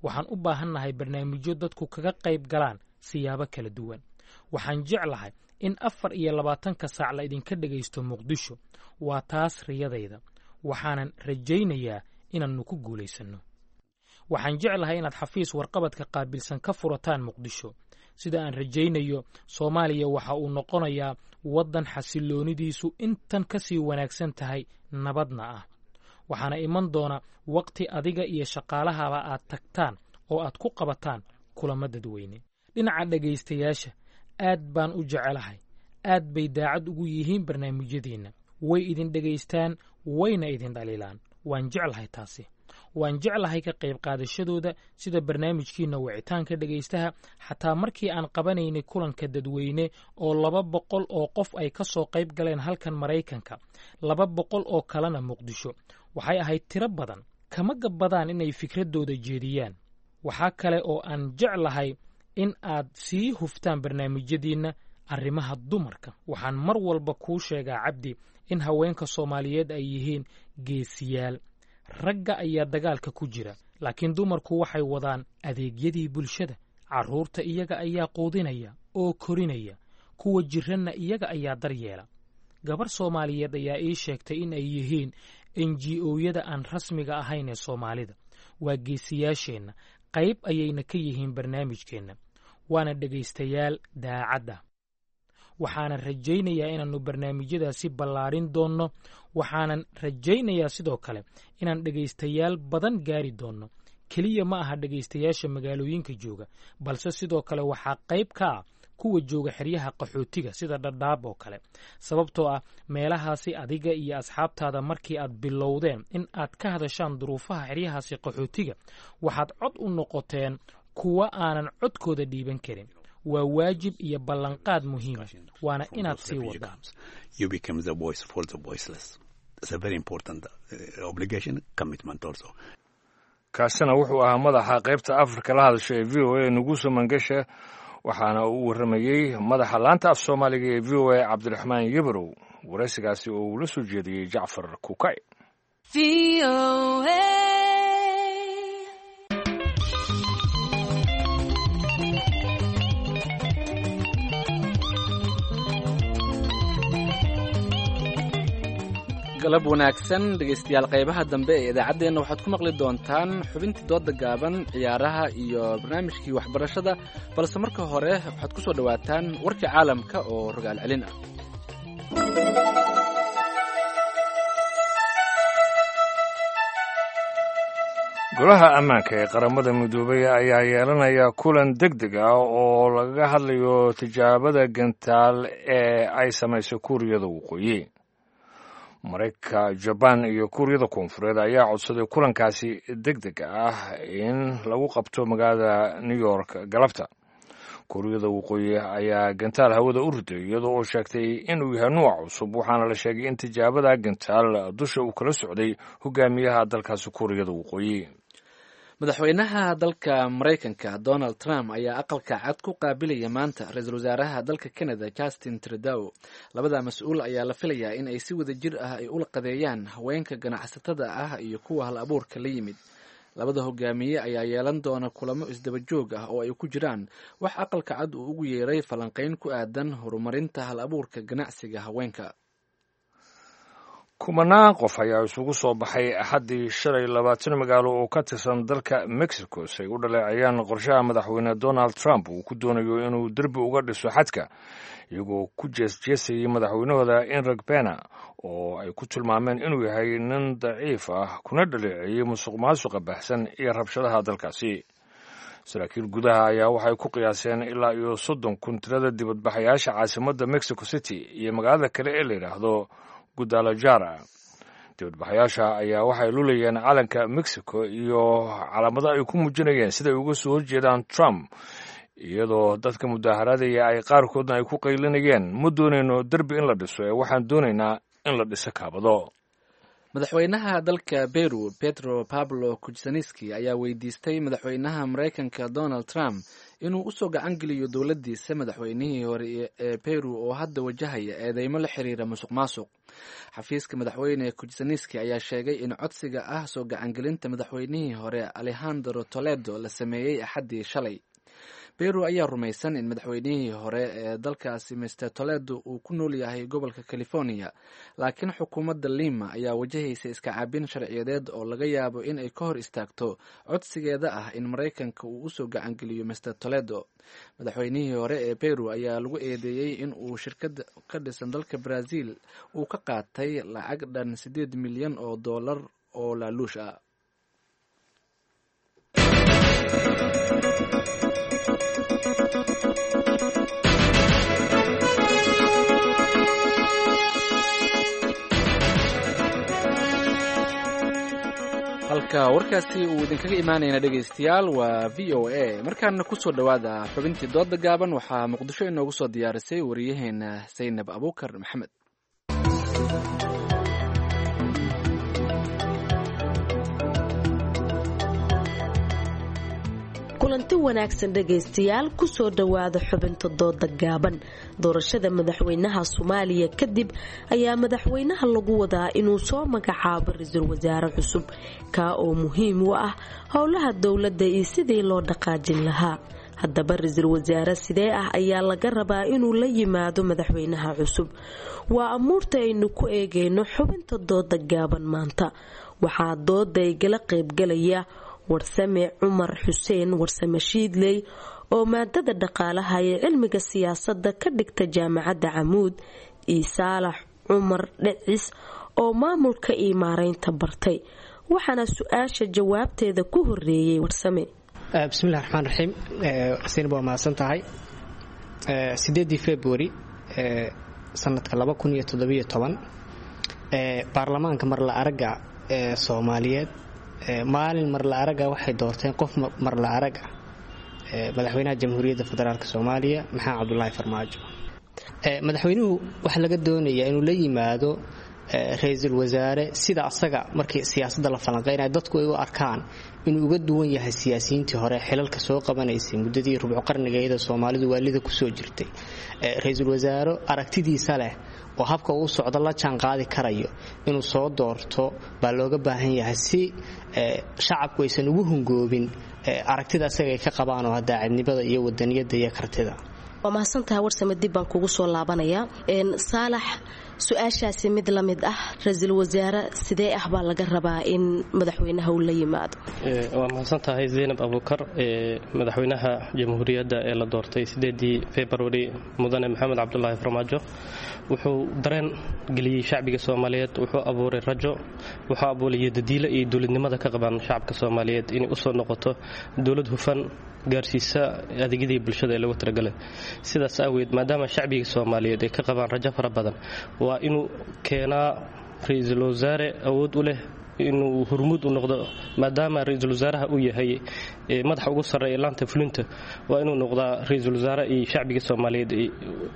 Waxaan u baahannahay barnaamijyo dadku kaga qayb galaan siyaabo kala duwan. Waxaan jeclahay in afar iyo labaatanka saac la idinka dhegaysto Muqdisho. Waa taas riyadayda, waxaanan rajaynayaa inaannu ku guulaysanno. Waxaan jeclahay inaad xafiis warqabadka qaabilsan ka furataan Muqdisho. Sida aan rajaynayo, Soomaaliya waxa uu noqonayaa waddan xasilloonidiisu intan ka sii wanaagsan tahay, nabadna ah. Waxaana iman doona waqti adiga iyo shaqaalahaba aad tagtaan oo aad ku qabataan kulamo dadweyne. Dhinaca dhegaystayaasha, aad baan u jecelahay. Aad bay daacad ugu yihiin barnaamijyadiinna. Way idin dhegaystaan, wayna idin dhaliilaan. Waan jeclahay taasi. Waan jeclahay ka qayb qaadashadooda, sida barnaamijkiinna wicitaanka dhegaystaha. Xataa markii aan qabanaynay kulanka dadweyne oo laba boqol oo qof ay ka soo qayb galeen halkan Maraykanka, laba boqol oo kalena Muqdisho, waxay ahayd tiro badan. Kama gabbadaan inay fikraddooda jeediyaan. Waxaa kale oo aan jeclahay in aad sii huftaan barnaamijyadiinna arrimaha dumarka. Waxaan mar walba kuu sheegaa, Cabdi, in haweenka Soomaaliyeed ay yihiin geesiyaal. Ragga ayaa dagaalka ku jira, laakiin dumarku waxay wadaan adeegyadii bulshada. Carruurta iyaga ayaa quudinaya oo korinaya, kuwa jiranna iyaga ayaa daryeela. Gabar Soomaaliyeed ayaa ii sheegtay in ay yihiin N G O-yada aan rasmiga ahayn ee Soomaalida. Waa geesiyaasheenna, qayb ayayna ka yihiin barnaamijkeenna, waana dhegaystayaal daacadda. Waxaanan rajaynayaa inaannu barnaamijyadaasi ballaarin doonno. Waxaanan rajaynayaa sidoo kale inaan dhegaystayaal badan gaari doonno. Keliya ma aha dhegaystayaasha magaalooyinka jooga, balse sidoo kale waxaa qayb ka ah kuwa jooga xeryaha qaxootiga sida Dhadhaab oo kale, sababtoo ah meelahaasi adiga iyo asxaabtaada markii aad bilowdeen in aad ka hadashaan duruufaha xeryahaasi qaxootiga, waxaad cod u noqoteen kuwa aanan codkooda dhiiban karin. Waa waajib iyo ballanqaad muhiima, waana inaad sii wadaan.
You become the voice for the voiceless. It's a very important uh, obligation, commitment also.
Kaasina wuxuu ahaa madaxa qaybta Afrika la hadasha ee V O A, Nuguso Mangesha, waxaana uu warramayey madaxa laanta af Soomaaliga ee V O A, Cabdiraxmaan Yebrow. Waraysigaasi oo uu la soo jeediyey Jacfar Kukay.
Galab wanaagsan dhegaystayaal, qaybaha dambe ee idaacaddeenna waxaad ku maqli doontaan xubintii dooda gaaban, ciyaaraha iyo barnaamijkii waxbarashada, balse marka hore waxaad ku soo dhowaataan warkii caalamka oo rogaal celin ah.
Golaha ammaanka ee Qaramada Midoobay ayaa yeelanaya kulan deg deg ah oo lagaga hadlayo tijaabada gantaal ee ay samaysay Kuuriyada Waqooyi. Maraykanka, Jabaan iyo Kuuriyada Koonfureed ayaa codsaday kulankaasi deg deg ah in lagu qabto magaalada New York galabta. Kuuriyada Waqooyi ayaa gantaal hawada u riday iyadoo oo sheegtay inuu yahay nuuc cusub, waxaana la sheegay in tijaabada gantaal dusha uu kala socday hogaamiyaha dalkaasi Kuuriyada Waqooyi.
Madaxweynaha dalka Maraykanka Donald Trump ayaa Aqalka Cad ku qaabilaya maanta ra-iisul wasaaraha dalka Canada Justin Trudeau. Labada mas-uul ayaa la filayaa in ay si wada jir ah ay ula qadeeyaan haweenka ganacsatada ah iyo kuwa hal abuurka la yimid. Labada hogaamiye ayaa yeelan doona kulamo isdaba joog ah oo ay ku jiraan wax Aqalka Cad uu ugu yeeray falanqayn ku aadan horumarinta hal abuurka ganacsiga haweenka.
Kumanaan qof ayaa isugu soo baxay Axaddii shalay labaatan magaalo oo ka tirsan dalka Mexico si ay u dhaleeceeyaan qorshaha madaxweyne Donald Trump uu ku doonayo inuu derbi uga dhiso xadka, iyagoo ku jeesjeesayay madaxweynahooda Enrique Pena oo ay ku tilmaameen inuu yahay nin daciif ah, kuna dhaleeceeyey musuq maasuqa baahsan iyo rabshadaha dalkaasi. Saraakiil gudaha ayaa waxay ku qiyaaseen ilaa iyo soddon kun tirada dibadbaxayaasha caasimadda Mexico City iyo magaalada kale ee la yidhaahdo Guadalajara. Dibadbaxayaasha ayaa waxay lulayeen calanka Mexico iyo calaamado ay ku muujinayeen siday uga soo horjeedaan Trump, iyadoo dadka mudaaharadaya ay qaarkoodna ay ku qaylinayeen: "Ma doonayno derbi in la dhiso ee waxaan doonaynaa in la dhiso kaabado."
Madaxweynaha dalka Peru Pedro Pablo Kuczynski ayaa weydiistay madaxweynaha Maraykanka Donald Trump inuu usoo gacan geliyo dowladdiisa madaxweynihii hore ee Peru oo hadda wajahaya eedeymo la xiriira musuq maasuq. Xafiiska madaxweyne Kuczynski ayaa sheegay in codsiga ah soo gacangelinta madaxweynihii hore Alejandro Toledo la sameeyey Axaddii shalay. Peru ayaa rumaysan in madaxweynihii hore ee dalkaasi Mister Toledo uu ku nool yahay gobolka California, laakiin xukuumadda Lima ayaa wajahaysa iska caabin sharciyadeed oo laga yaabo in ay ka hor istaagto codsigeeda ah in Maraykanka uu usoo gacangeliyo Mister Toledo. Madaxweynihii hore ee Peru ayaa lagu eedeeyey in uu shirkad ka dhisan dalka Brazil uu ka qaatay lacag dhan siddeed milyan oo dollar oo laaluush ah. Halka warkaasi uu idinkaga imaanayna dhegaystayaal waa V O A. Markaana kusoo dhowaada xubintii dooda gaaban. Waxaa Muqdisho inoogu soo diyaarisay wariyaheena Saynab Abuukar Maxamed.
Kulanti wanaagsan dhegaystayaal, kusoo dhowaada xubinta dooda gaaban. Doorashada madaxweynaha Soomaaliya kadib ayaa madaxweynaha lagu wadaa inuu soo magacaabo ra-iisul wasaare cusub, kaa oo muhiim u ah howlaha dowladda iyo sidii loo dhaqaajin lahaa. Haddaba ra-iisul wasaare sidee ah ayaa laga rabaa inuu la yimaado madaxweynaha cusub? Waa amuurta aynu ku eegayno xubinta dooda gaaban maanta. Waxaa dooda igala qaybgalaya Warsame Cumar Xuseen Warsame Shiidley oo maadada dhaqaalaha ee cilmiga siyaasadda ka dhigta Jaamacadda Camuud, iyo Saalax Cumar Dhicis oo maamulka iyo maareynta bartay. Waxaana su-aasha jawaabteeda ku horeeyay Warsame.
Bismillahi raxmaan raxiim. Xuseen, waa mahadsan tahay. Sideedii February sanadka laba kun iyo toddobiyo toban baarlamaanka marla aragga ee Soomaaliyeed maalin marla araga waxay doorteen qof marla arag ah, madaxweynaha Jamhuuriyadda Federaalk Soomaaliya Maxamed Cabdulaahi Farmaajo. Madaxweynuhu waxaa laga doonayaa inuu la yimaado ra-iisul wasaare sida asaga markii siyaasadda la falanqeynayo dadku ay u arkaan inuu uga duwan yahay siyaasiyiintii hore xilalka soo qabanaysay muddadii rubco qarniga iyadoo Soomaalidu waalida kusoo jirtay. Ra-iisul wasaare aragtidiisa leh oo habka uu socdo la jaan qaadi karayo inuu soo doorto baa looga baahan yahay, si shacabku aysan ugu hungoobin aragtida asaga ay ka qabaan oo daacadnimada iyo wadaniyada iyo kartida.
Waa mahadsantaha Warsame, dib baan kugu soo laabanayaa. Saalax, Su-aashaasi mid la mid ah, ra-iisul wasaare sidee ah baa laga rabaa in madaxweynaha uu la yimaado?
Waa mahadsan tahay Zaynab Abuukar. Madaxweynaha jamhuuriyadda ee la doortay sideedii Februari, mudane Maxamed Cabdulaahi Farmaajo, wuxuu dareen geliyey shacbiga Soomaaliyeed, wuxuu abuuray rajo, wuxuu abuuray yadadiila iyo dowladnimada ka qabaan shacabka Soomaaliyeed inay usoo noqoto dowlad hufan gaarsiisa adeegyadii bulshada ee lagu talagalay. Sidaas aaweed, maadaama shacbiga Soomaaliyeed ay ka qabaan rajo fara badan, waa inuu keenaa ra-iisul wasaare awood u leh inuu hormuud u noqdo. Maadaama ra-iisul wasaaraha uu yahay madaxa ugu sarreeya laanta fulinta, waa inuu noqdaa ra-iisul wasaare iyo shacbiga Soomaaliyeed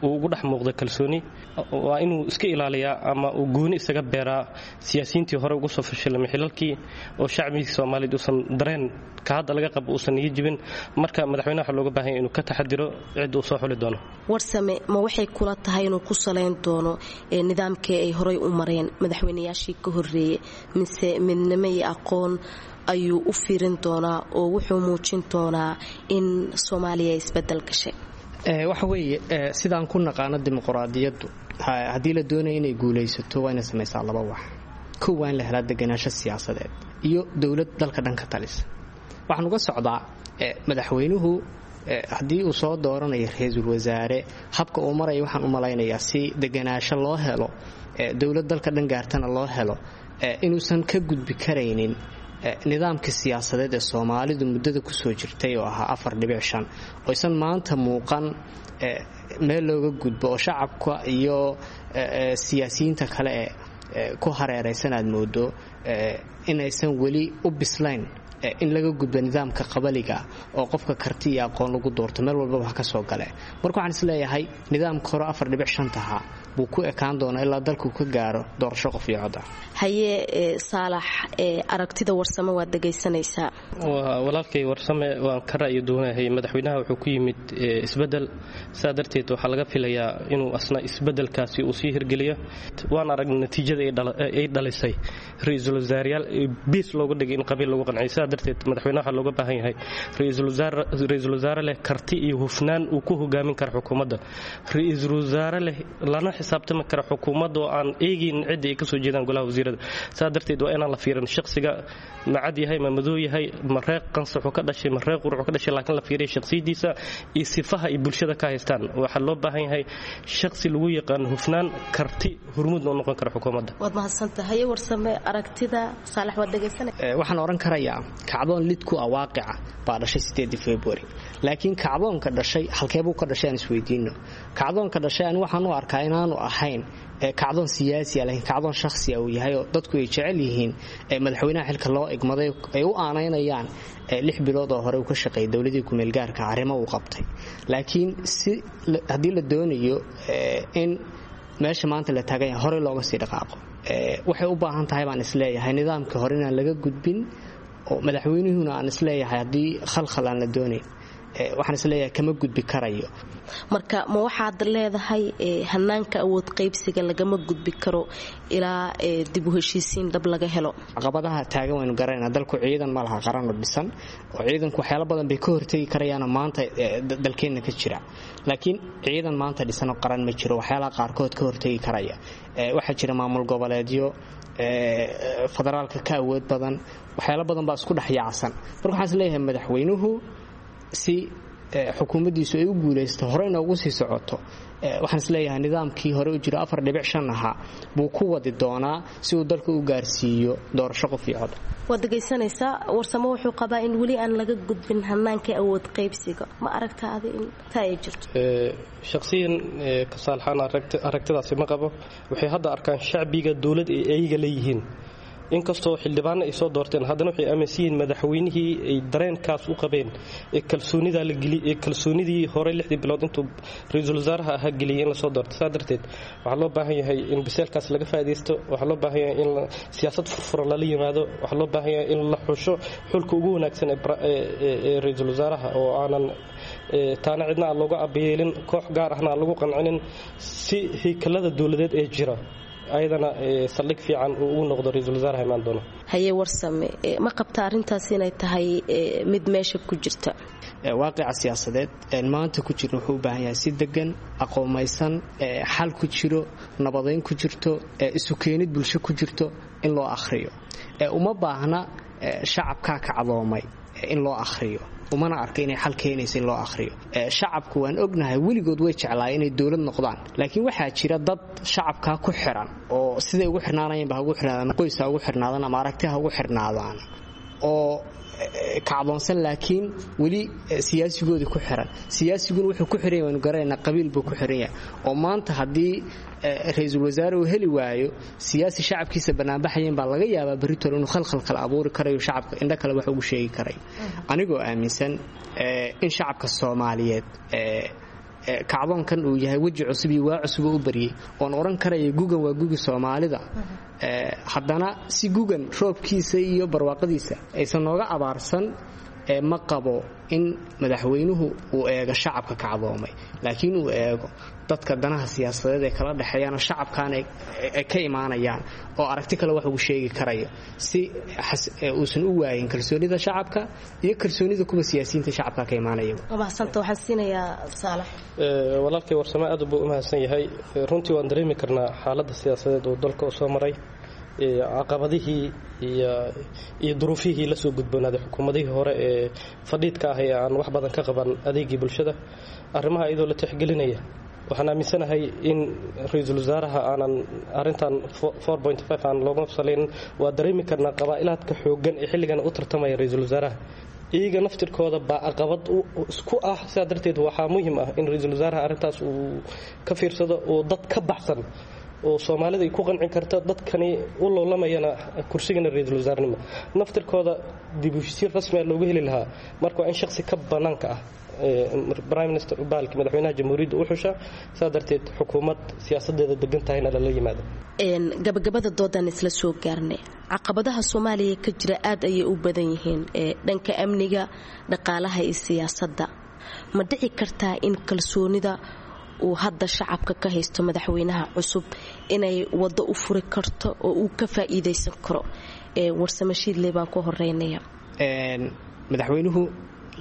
uu ugu dhex muuqdo kalsooni. Waa inuu iska ilaaliyaa ama uu gooni isaga beeraa siyaasiyiintii hore ugu soo fashilmay xilalkii, oo shacbiga Soomaaliyeed uusan dareen ka hadda laga qabo uusan niyo jibin. Marka madaxweynaha waxaa looga baahan yahay inuu ka taxadiro cid uu soo xuli doono.
Warsame, ma waxay kula tahay inuu ku salayn doono nidaamkii ay horey u mareen madaxweynayaashii ka horreeyey, mise midnimo iyo aqoon ayuu u fiirin doonaa oo wuxuu muujin doonaa in Soomaaliya isbedel gashay?
Waxa weeye, sidaan ku naqaano dimuquraadiyaddu, haddii la doonayo inay guulaysato, waa inay samaysaa laba wax. Kow, waa in la helaa deganaansho siyaasadeed iyo dowlad dalka dhan ka talisa. Waxaan uga socdaa, madaxweynuhu haddii uu soo dooranayo ra-iisul wasaare, habka uu maraya waxaan u malaynayaa si deganaasho loo helo, dowlad dalka dhan gaartana loo helo, inuusan ka gudbi karaynin nidaamka siyaasadeed ee Soomaalidu muddada kusoo jirtay oo ahaa afar dhibic shan, oysan maanta muuqan meel looga gudbo, oo shacabka iyo siyaasiyiinta kale ee ku hareeraysan aad moodo inaysan weli u bislayn in laga gudbo nidaamka qabaliga oo qofka karti iyo aqoon lagu doorto meel walbaba ha ka soo gale. Marka waxaan isleeyahay nidaamka hore afar dhibic shantaha buu ku ekaan doonaa ilaa dalku ka gaaro doorasho qof iyo cod ah.
Haye Saalax, aragtida Warsame waad dhegaysanaysaa.
Walaalkay Warsame waan ka ra'yi duwanahay. Madaxweynaha wuxuu ku yimid isbedel, saa darteed waxaa laga filayaa inuu asna isbedelkaasi uu sii hirgeliyo. Waan aragnay natiijada ay dhalisay ra-iisul wasaarayaal biis looga dhigay in qabiil lagu qanciyo. Sidaa darteed madaxweynaha waxaa looga baahan yahay ra-iisul wasaare leh karti iyo hufnaan uu ku hogaamin kara xukuumadda, ra-iisul wasaare leh lana xisaabtami kara xukuumadda oo aan eegaynin cidda ay kasoo jeedaan golaha wasiirada. Saa darteed waa inaan la fiirin shakhsiga, ma cad yahay, ma madow yahay, ma reeq qansaxu ka dhashay, ma reeq quruxu ka dhashay, laakiin la fiiriya shakhsiyadiisa iyo sifaha ay bulshada ka haystaan. Waxaa loo baahan yahay shakhsi lagu yaqaan hufnaan, karti, hormuudna u noqon kara xukuumadda.
Waad mahadsantahay. Haye Warsame, aragtida Saalax waad dhegaysanay.
Waxaan odhan karayaa kacdoon lid ku ah waaqica baa dhashay sideedii February, laakiin kacdoonka dhashay halkeebuu ka dhashay aan isweydiino. Kacdoonka dhashay ani waxaan u arkaa inaanu ahayn kacdoon siyaasi ah, laakiin kacdoon shakhsi ah uu yahay, oo dadku ay jecel yihiin madaxweynaha xilka loo igmaday, ay u aanaynayaan lix bilood oo hore uu ka shaqeeyay dowladii kumeelgaarka arrimo uu qabtay. Laakiin si haddii la doonayo in meesha maanta la taagan yahay horey looga sii dhaqaaqo, waxay u baahan tahay baan isleeyahay nidaamkii hore inaan laga gudbin, oo madaxweynuhuna aan isleeyahay haddii khalkhal aan la doonayn, waxaan isleeyahay kama gudbi karayo.
Marka ma waxaad leedahay hanaanka awood qaybsiga lagama gudbi karo ilaa dib u heshiisiin dhab laga helo?
Caqabadaha taagan waynu garanayna. Dalku ciidan ma laha qaranoo dhisan, oo ciidanku waxyaalo badan bay ka hortegi karayaanoo maanta dalkeenna ka jira, laakiin ciidan maanta dhisanoo qaran ma jiro waxyaalaha qaarkood ka hortegi karaya. Waxaa jira maamul goboleedyo federaalka ka awood badan, waxyaalo badan baa isku dhex yaacsan. Marka waxaan isleeyahay madaxweynuhu si xukuumaddiisu ay u guulaysto, horey noogu sii socoto, waxaan isleeyahay nidaamkii hore u jiro afar dhibic shan ahaa buu ku wadi doonaa si uu dalka u gaarsiiyo doorasho qof iyo cod.
Waad dhegaysanaysaa, Warsamo wuxuu qabaa in weli aan laga gudbin hanaanka awood qaybsiga. Ma aragta adi in taa ay jirto?
Shaqsiyan kasaalxaan aragtidaasi ma qabo. Waxay hadda arkaan shacbiga dowlad ay ayaga leeyihiin. Inkastoo xildhibaanna ay soo doorteen, haddana waxay aaminsan yihiin madaxweynihii ay dareenkaas u qabeen ee kalsoonidaa la geli ee kalsoonidii hore lixdii bilood intuu ra-iisul wasaaraha ahaa geliyay in lasoo doorto. Saa darteed waxaa loo baahan yahay in biseelkaas laga faa'iidaysto. Waxaa loo baahan yahay in siyaasad furfuran lala yimaado. Waxaa loo baahan yahay in la xusho xulka ugu wanaagsan ee ra-iisul wasaaraha, oo aanan taana cidna aan looga abayeelin, koox gaar ahna aan lagu qancinin, si haykalada dowladeed ee jira ayadana saldhig fiican uu ugu noqdo ra-iisul wasaaraha imaan doono.
Haye Warsame, ma qabta arrintaas inay tahay mid meesha ku jirta?
Waaqica siyaasadeed maanta ku jirna wuxuu u baahan yahay si degan, aqoomaysan, xal ku jiro, nabadayn ku jirto, isu keenid bulsho ku jirto in loo akhriyo. Uma baahna shacabkaa kacdoomay in loo akhriyo, umana arka inay xal keenaysa in loo akhriyo. Shacabku waan ognahay weligood way jeclaay inay dowlad noqdaan, laakiin waxaa jira dad shacabkaa ku xiran oo siday ugu xirnaanayanba ha ugu xirnaadaan, qoys ha ugu xirnaadaan ama aragti ha ugu xirnaadaan, oo kacdoonsan laakiin weli siyaasigoodii ku xiran. Siyaasiguna wuxuu ku xiran yahay waanu garanaynaa, qabiil buu ku xiran yahay. Oo maanta haddii ra-iisul wasaare uu heli waayo siyaasi shacabkiisa banaanbaxayan, baa laga yaabaa berritole inuu khalkhal kale abuuri karayo, shacabka indho kale wax ugu sheegi karayo. Anigoo aaminsan in shacabka Soomaaliyeed kacdoonkan uu yahay weji cusub iyo waa cusub oo u baryay, oon odhan karaya gugan waa gugi Soomaalida, haddana si gugan roobkiisa iyo barwaaqadiisa aysan nooga abaarsan, ma qabo in madaxweynuhu uu eego shacabka kacdoomay, laakiin uu eego dadka danaha siyaasadeed ay kala dhexeeyaan oo shacabkan ay ka imaanayaan oo aragti kale wax ugu sheegi karayo, si uusan u waayin kalsoonida shacabka iyo kalsoonida kuwa siyaasiyiinta shacabka ka imaanaya.
Walaalkay Warsame aad buu u mahadsan yahay. Runtii waan dareemi karnaa xaaladda siyaasadeed uu dalka u soo maray, caqabadihii iyo duruufihii la soo gudboonaaday xukuumadihii hore ee fadhiidka ah ee aan wax badan ka qaban adeegii bulshada. Arrimaha iyadoo la tixgelinaya, waxaan aaminsanahay in ra-iisul wasaaraha aanan arintan aan looga salayn. Waa dareemi karnaa qabaa'ilaadka xooggan ee xilligan u tartamaya ra-iisul wasaaraha, iyaga naftirkooda baa caqabad isku ah. Sidaa darteed waxaa muhiim ah in ra-iisul wasaaraha arrintaas uu ka fiirsado oo dad ka baxsan oo Soomaalida ay ku qancin karta dadkani u loolamayana kursigana ra-iisul wasaarnimo naftirkooda dib u heshiisiin rasmi ah loogu heli lahaa. Marka waa in shakhsi ka bannaanka ah prime minister baalki madaxweynaha jamhuuriyadda u xusha. Saa darteed xukuumad siyaasadeeda degan tahayna lala yimaado.
Gabagabada doodan isla soo gaarnay. Caqabadaha Soomaaliya ka jira aad ayay u badan yihiin, dhanka amniga, dhaqaalaha iyo siyaasadda. Ma dhici kartaa in kalsoonida uu hadda shacabka ka haysto madaxweynaha cusub inay waddo u furi karto oo uu ka faa'iidaysan karo? Warsame Shiidley baan ku horeynaya.
Madaxweynuhu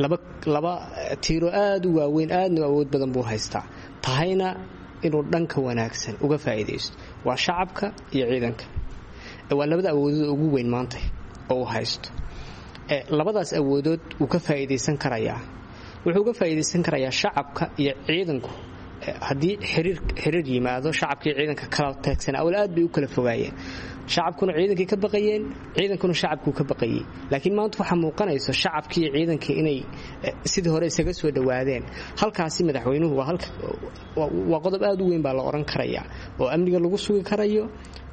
laba laba tiiro aada u waaweyn, aadna u awood badan buu haystaa, tahayna inuu dhanka wanaagsan uga faa'iidaysto, waa shacabka iyo ciidanka. Waa labada awoodood ugu weyn maanta oo uu haysto. Labadaas awoodood wuu ka faa'iidaysan karayaa. Wuxuu uga faa'iidaysan karayaa shacabka iyo ciidanku haddii xiriir xiriir yimaado. Shacabkii ciidanka kala taagsan awal aad bay u kala fogaayeen, shacabkuna ciidankii ka baqayeen, ciidankuna shacabkuu ka baqayay, laakiin maanta waxaa muuqanayso shacabkii iyo ciidankii inay sidii hore isaga soo dhowaadeen. Halkaasi madaxweynuhu waa halka waa qodob aad u weyn baa la odhan karayaa, oo amniga lagu sugi karayo,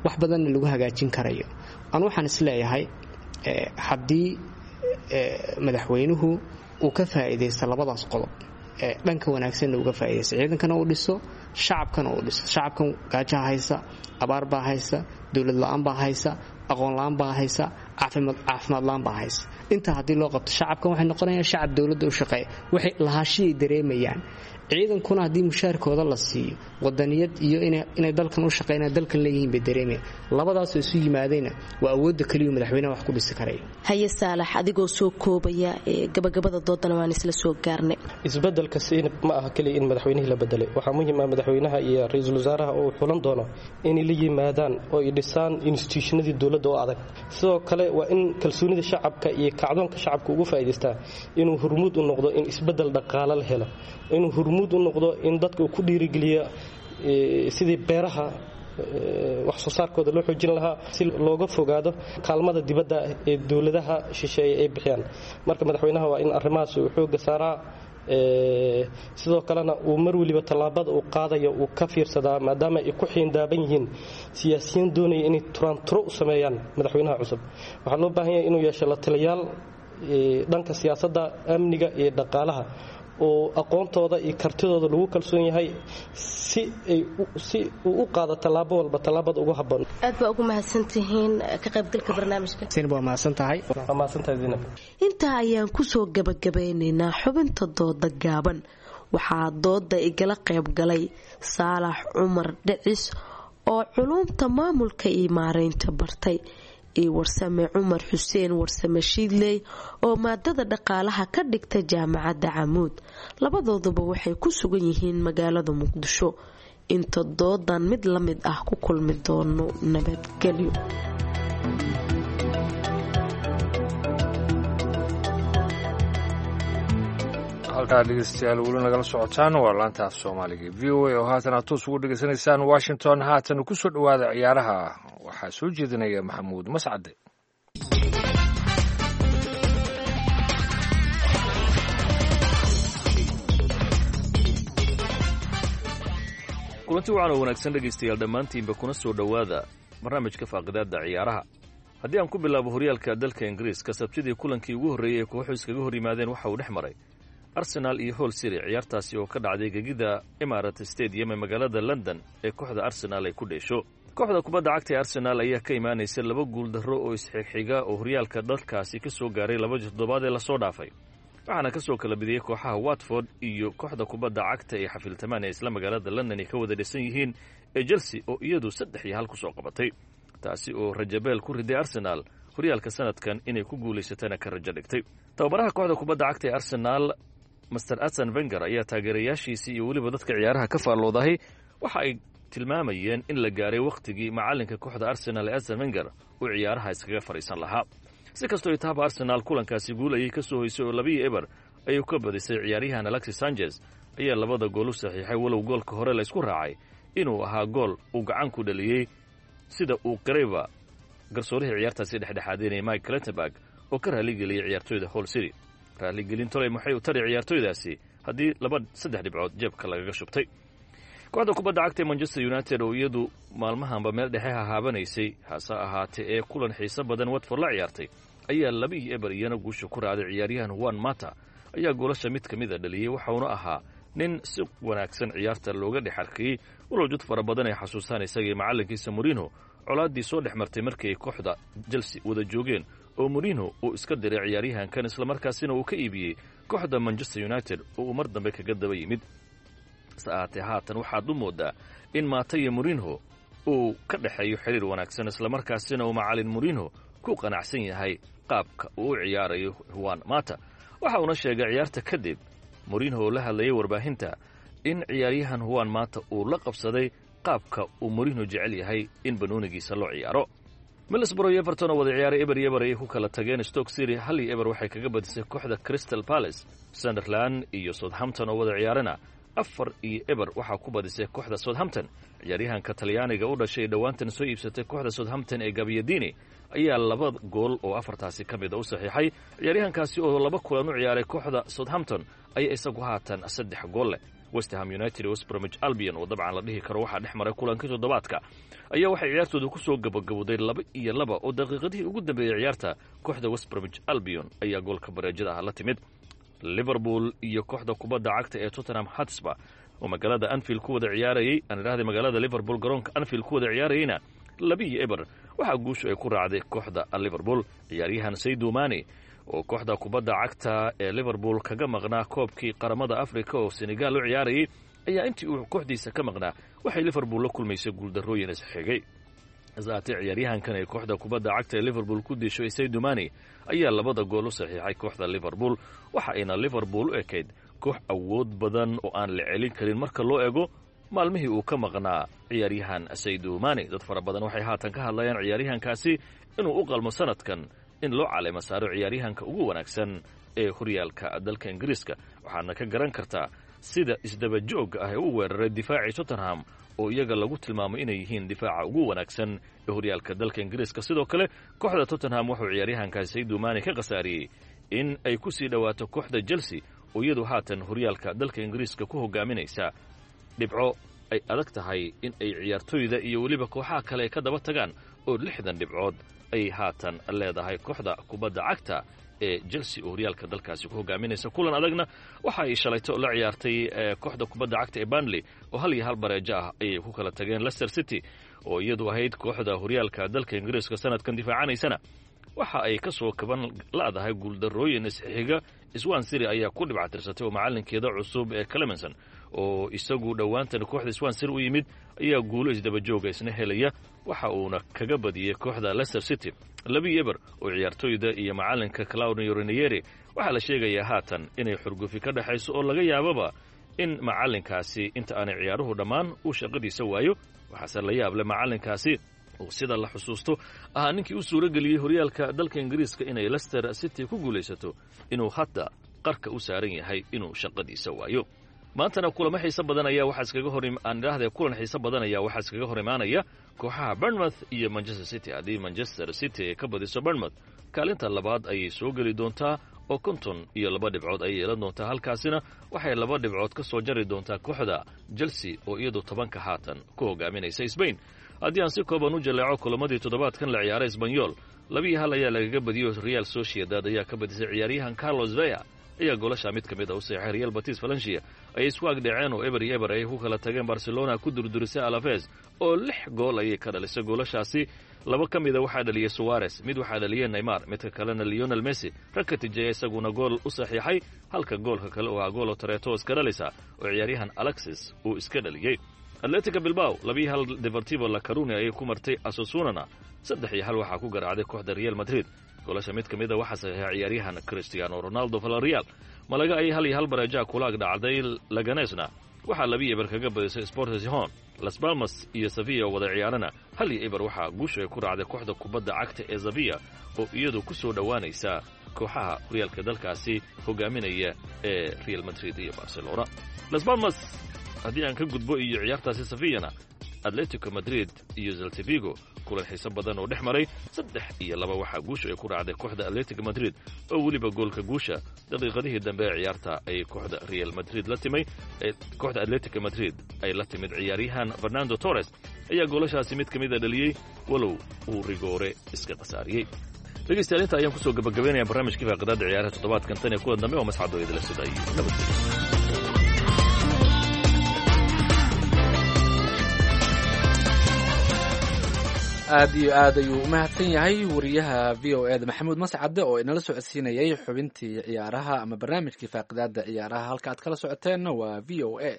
wax badanna lagu hagaajin karayo. Anu waxaan isleeyahay haddii madaxweynuhu uu ka faa'iidaysto labadaas qodob, dhanka wanaagsanna uga faa'idaysta, ciidankana uu dhiso, shacabkana uu dhiso. Shacabkan gaajaha haysa, abaar baa haysa, dowlad la-aan baa haysa, aqoon la-aan baa haysa, caafimaad la-aan baa haysa. Intaa haddii loo qabto shacabkan, waxay noqonayaan shacab dowladda u shaqeeya, waxay lahaashiyay dareemayaan. Ciidankuna haddii mushaarkooda la siiyo, wadaniyad iyo inay dalkan u shaqeynayaan, dalkan leeyihiin bay dareemayaan. Labadaasoo isu yimaadayna waa awoodda keliyu madaxweynaha wax ku dhisi karaya.
Haye Saalax, adigoo soo koobaya, gabagabada doodana waan isla soo gaarnay.
Isbedelka siinab ma aha keliya in madaxweynihii la bedelay. Waxaa muhiim ah madaxweynaha iyo ra-iisul wasaaraha oo xulan doono inay la yimaadaan oo ay dhisaan instituushinadii dowladda oo adag. Sidoo kale waa in kalsoonida shacabka iyo kacdoonka shacabka ugu faa'iidaystaa inuu hormuud u noqdo in isbedel dhaqaale la helo, inuu hormuud u noqdo in dadka uu ku dhiirigeliyo sidii beeraha wax soo saarkooda loo xoojin lahaa, si looga fogaado kaalmada dibadda ee dowladaha shisheeye ay bixiyaan. Marka madaxweynaha waa in arrimahaas uu xoogga saaraa, sidoo kalena uu mar weliba tallaabada uu qaadayo uu ka fiirsadaa, maadaama ay ku xiindaaban yihiin siyaasiyiin doonaya inay turaanturo u sameeyaan madaxweynaha cusub. Waxaa loo baahan yahay inuu yeesho la taliyaal dhanka siyaasadda, amniga iyo dhaqaalaha oo aqoontooda iyo kartidooda lagu kalsoon yahay, si ay si uu u qaado tallaabo walba tallaabada ugu habboon.
Aad baa ugu mahadsantihiin ka qaybgalka barnaamijka.
Zainab, waa mahadsan tahay.
Waa mahadsantahay Zainab.
Intaa ayaan kusoo gabagabeynaynaa xubinta dooda gaaban. Waxaa dooda igala qayb galay Saalax Cumar Dhicis oo culuumta maamulka iyo maareynta bartay, iyo Warsame Cumar Xuseen Warsame Shiidley oo maadada dhaqaalaha ka dhigta Jaamacadda Camuud. Labadooduba waxay ku sugan yihiin magaalada Muqdisho. Inta doodan mid la mid ah ku kulmi doono, nabadgelyo.
Halkaa dhegeystayaal weli nagala socotaan waa laanta af Soomaaliga V O A oo haatan aad toos ugu dhegeysanaysaan Washington. Haatan kusoo dhowaada ciyaaraha, waxaa soo jeedinaya Maxamuud Mascade.
Kulanti wacan oo wanaagsan dhegaystayaal dhammaantiinba, kuna soo dhowaada barnaamijka faaqidaadda ciyaaraha. Haddii aan ku bilaabo horyaalka dalka Ingiriiska, Sabtidii kulankii ugu horreeyey ee kooxu iskaga hor yimaadeen waxa uu dhex maray Arsenal iyo Hull City, ciyaartaasi oo ka dhacday gegida Emirates Stadium ee magaalada London ee kooxda Arsenal ay ku dheesho. Kooxda kubadda cagta ee Arsenal ayaa ka imaanaysa laba guuldarro oo isxigxiga oo horyaalka dalkaasi ka soo gaaray labadii toddobaad ee lasoo dhaafay, waxaana ka soo kala bidiyey kooxaha Watford iyo kooxda kubadda cagta ee xafiiltamaan ee isla magaalada London ay ka wada dhisan yihiin ee Chelsea oo iyadu saddex iyo hal ku soo qabatay, taasi oo rajabeel ku riday Arsenal horyaalka sanadkan inay ku guulaysatana ka rajo dhigtay. Tababaraha kooxda kubadda cagta ee Arsenal, Master Arsene Wenger, ayaa taageerayaashiisii iyo weliba dadka ciyaaraha ka faalloodahay waxa ay tilmaamayeen in la gaaray wakhtigii macalinka kooxda Arsenal ee Arsene Wenger uu ciyaaraha iskaga fadhiisan lahaa. Si kastoo itaaba, Arsenal kulankaasi guul ayay ka soo hoysay oo labiyo eber ayuu ka badisay. Ciyaaryahan Alexis Sanchez ayaa labada gool u saxiixay, walow goolka hore la isku raacay inuu ahaa gool uu gacan ku dhaliyey, sida uu qirayba garsoorihii ciyaartaasi dhexdhexaadinaya Mike Clattenburg oo ka raaligeliyey ciyaartoyda Hull City. Raaligelin toley maxay u tari ciyaartoydaasi haddii laba saddex dhibcood jeebka lagaga shubtay? Kooxda kubadda cagta ee Manchester United oo iyadu maalmahanba meel dhexe hahaabanaysay, hase ahaatee ee kulan xiiso badan Watford la ciyaartay, ayaa laba iyo eber iyana guusha ku raacday. Ciyaaryahan Juan Mata ayaa goolasha mid ka mid a dhaliyey, waxauna ahaa nin si wanaagsan ciyaarta looga dhex arkayey, walow jud fara badan ay xasuustaan isagii macallinkiisa Mourinho colaaddii soo dhex martay markii ay kooxda Chelsea wada joogeen oo Mourinho uu iska diray ciyaaryahankan, islamarkaasina uu ka iibiyey kooxda Manchester United oo uu mar dambe kaga daba yimid. Hase ahaatee, haatan waxaad u moodaa in Mata iyo Mourinho uu ka dhexeeyo xiriir wanaagsan, islamarkaasina uu macallin Mourinho ku qanacsan yahay qaabka uu u ciyaarayo Juan Mata. Waxa uuna sheegay ciyaarta kadib Mourinho oo la hadlayay warbaahinta in ciyaaryahan Juan Mata uu la qabsaday qaabka uu Mourinho jecel yahay in banoonigiisa loo ciyaaro. Middlesbrough iyo Everton oo wada ciyaaray eber iyo eber ayay ku kala tageen. Stoke City hal iyo eber waxay kaga badisay kooxda Crystal Palace. Sunderland iyo Southampton oo wada ciyaarana afar iyo eber waxaa ku badisay kooxda Southampton. Ciyaaryahanka Talyaaniga u dhashay dhowaantan soo iibsatay kooxda Southampton ee Gabbiadini ayaa laba gool oo afartaasi ka mid a u saxiixay. Ciyaaryahankaasi oo laba kulan u ciyaaray kooxda Southampton ayaa isagu haatan saddex gool leh. West Ham United iyo West Bromwich Albion oo dabcan la dhihi karo waxaa dhex maray kulankii toddobaadka ayaa waxay ciyaartooda ku soo gabagabowday laba iyo laba, oo daqiiqadihii ugu dambeeyey ciyaarta kooxda West Bromwich Albion ayaa goolka bareejada ah la timid. Liverpool iyo kooxda kubadda cagta ee Tottenham Hotspur oo magaalada Anfield ku wada ciyaarayay, aan idhahday magaalada Liverpool garoonka Anfield ku wada ciyaarayayna, labiyo eber waxaa guushu ay ku raacday kooxda Liverpool. Ciyaaryahan Sadio Mane oo kooxda kubadda cagta ee Liverpool kaga maqnaa koobkii qaramada Africa oo Senegal u ciyaarayay ayaa intii uu kooxdiisa ka maqnaa waxay Liverpool la kulmaysay guuldarrooyin isxigay. Hasaatee, ciyaaryahankan ay kooxda kubadda cagta ee Liverpool ku disho Sadio Mane ayaa labada gool u saxiixay kooxda Liverpool, waxa ayna Liverpool u ekayd koox awood badan oo aan la celin karin marka loo eego maalmihii uu ka maqnaa ciyaaryahan Sadio Mane. Dad fara badan waxay haatan ka hadlayaan ciyaaryahankaasi inuu u qalmo sanadkan in loo caleemo saaro ciyaaryahanka ugu wanaagsan ee horyaalka dalka Ingiriiska, waxaadna ka garan kartaa sida isdaba joogga ah ee u weeraray difaacii Tottenham oo iyaga lagu tilmaamay inay yihiin difaaca ugu wanaagsan ee horyaalka dalka Ingiriiska. Sidoo kale kooxda Tottenham wuxuu ciyaaryahankaasi Sadio Mane ka khasaariyey in ay ku sii dhowaato kooxda Chelsea oo iyadu haatan horyaalka dalka Ingiriiska ku hogaaminaysa dhibco ay adag tahay in ay ciyaartoyda iyo weliba kooxaha kale ay ka daba tagaan, oo lixdan dhibcood ay haatan leedahay kooxda kubadda cagta ee Chelsea oo horyaalka dalkaasi ku hogaaminaysa. Kulan adagna waxa ay shalayto la ciyaartay kooxda kubadda cagta ee Burnley oo hal iyo hal bareejo ah ayay ku kala tageen. Leicester City oo iyadu ahayd kooxda horyaalka dalka Ingiriiska sanadkan difaacanaysana waxa ay ka soo kaban la'dahay guuldarrooyin isxiga. Swansea City ayaa ku dhibcatirsatay oo macalinkeeda cusub ee Clemenson oo isagu dhowaantan kooxda Swansea City u yimid ayaa guulo isdaba jooga isna helaya, waxa uuna kaga badiyey kooxda Leicester City Labi eber oo ciyaartooyda iyo macalinka Claudio Ranieri waxaa la sheegayaa haatan inay xurgufi ka dhexayso oo laga yaababa in macalinkaasi inta aanay ciyaaruhu dhammaan uu shaqadiisa waayo. Waxaase la yaab leh macalinkaasi oo sida la xusuusto ahaa ninkii u suuro geliyey horyaalka dalka Ingiriiska inay Leicester City ku guulaysato, inuu hadda qarka u saaran yahay inuu shaqadiisa waayo. Maantana kulamo xiiso badan ayaa waxaa iskaga hor aan idhaahdee kulan xiiso badan ayaa waxaa iskaga hor imaanaya kooxaha Bournemouth iyo Manchester City. Haddii Manchester City ay ka badiso Bournemouth, kaalinta labaad ayay soo geli doontaa oo konton iyo laba dhibcood ayay yeelan doontaa. Halkaasina waxay laba dhibcood ka soo jari doontaa kooxda Chelsea oo iyadu tobanka haatan ku hogaaminaysa. Spain haddii aan si kooban u jaleeco kulamadii toddobaadkan la ciyaaray, Espanyol labiiyo hal ayaa lagaga badiyo, Real Sociedad ayaa ka badisay. Ciyaaryahan Carlos Vea ayaa goolasha mid ka mid a u saxeexay. Real Betis Valencia ayay isku agdhaceen oo eber iyo eber ayay ku kala tageen. Barcelona ku durdurisay Alaves oo lix gool ayay ka dhalisay. Goolashaasi laba ka mida waxaa dhaliyey Suarez, mid waxaa dhaliyey Neymar, midka kalena Lionel Messi. Rakitic isaguna gool u saxiixay, halka goolka kale oo ah goolo Tareto iska dhalisa oo ciyaaryahan Alexis uu iska dhaliyey. Atletica Bilbao labiyo hal Deportivo La Coruña ayay ku martay. Osasunana saddex iyo hal waxaa ku garaacday kooxda Real Madrid. Goolasha mid ka mid a waxaa saxiixay ciyaaryahan Cristiano Ronaldo. Villarreal Malaga ayay hal iyo hal bareejaha kula ag dhacday. Leganesna waxaa labi eber kaga badisay Sporting Gijón. Las Palmas iyo Sevilla oo wada ciyaarana hal iyo eber waxaa guusha ay ku raacday kooxda kubadda cagta ee Sevilla oo iyadu ku soo dhowaanaysa kooxaha horyaalka dalkaasi hogaaminaya ee Real Madrid iyo Barcelona. Las Palmas haddii aan ka gudbo iyo ciyaartaasi Sevillana, Atletico Madrid iyo Celta Vigo kulan xiiso badan oo dhex maray, saddex iyo laba waxaa guusha ay ku raacday kooxda Atletico Madrid, oo weliba goolka guusha daqiiqadihii dambe ee ciyaarta ay kooxda Real Madrid la timay, kooxda Atletico Madrid ay la timid. Ciyaaryahan Fernando Torres ayaa goolashaasi mid ka mid a dhaliyey, walow uu rigoore iska khasaariyey. Dhegeystayaal, inta ayaan kusoo gabagabeynaya barnaamijkii faaqidaada ciyaaraha toddobaadkan. Tan iyo kulan dambe oo masxadoo idila sida iyo nabadgelyo.
Aad iyo aad ayuu u mahadsan yahay wariyaha V O E da Maxamuud Mascade oo inala socodsiinayay xubintii ciyaaraha ama barnaamijkii faaqidaada ciyaaraha. Halka aad kala socoteenna waa V O A.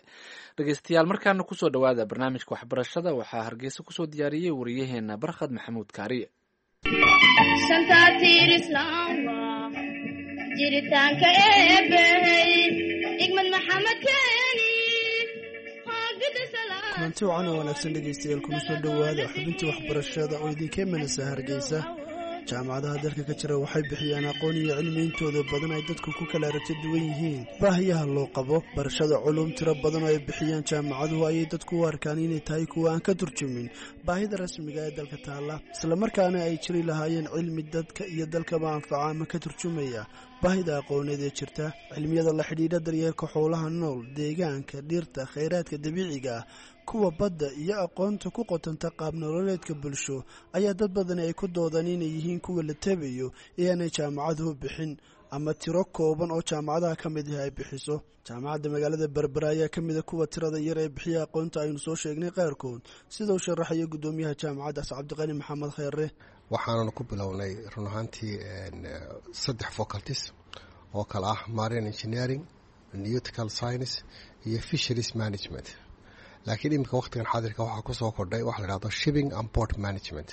Dhegeystayaal, markaana kusoo dhowaada barnaamijka waxbarashada. Waxaa Hargeysa kusoo diyaariyey wariyaheena Barkhad Maxamuud Kaariye.
Kulanti wacan oo wanaagsan dhegaystayaal, kuna soo dhowaada xubintii waxbarashada oo idinka imanaysa Hargeysa. Jaamacadaha dalka ka jira waxay bixiyaan aqoon iyo cilmi intooda badan ay dadku ku kala aragti duwan yihiin baahiyaha loo qabo. Barashada culum tiro badan oo ay bixiyaan jaamacaduhu ayay dadku u arkaan inay tahay kuwa aan ka turjumin baahida rasmiga ee dalka taalla, islamarkaana ay jiri lahaayeen cilmi dadka iyo dalkaba anfaca ama ka turjumaya baahida aqooneed ee jirta. Cilmiyada la xidhiidha daryeelka xoolaha nool, deegaanka, dhirta, khayraadka dabiiciga ah, kuwa badda iyo aqoonta ku qotanta qaab nololeedka bulsho ayaa dad badani ay ku doodaan inay yihiin kuwa la tabayo ee aanay jaamacaduhu bixin ama tiro kooban oo jaamacadaha ka mid ah ay bixiso. Jaamacadda magaalada Berbera ayaa ka mida kuwa tirada yar ee bixiya aqoonta aynu soo sheegnay qaarkood, sida uu sharaxayo guddoomiyaha jaamacaddaas Cabdiqani Maxamed Kheyre.
Waxaananu ku bilownay run ahaantii saddex faculties oo kale ah marine engineering, nautical science iyo fisheries management. Laakiin iminka waqtigan xaadirka waxaa kusoo kordhay waxa la dhahdo shipping and port management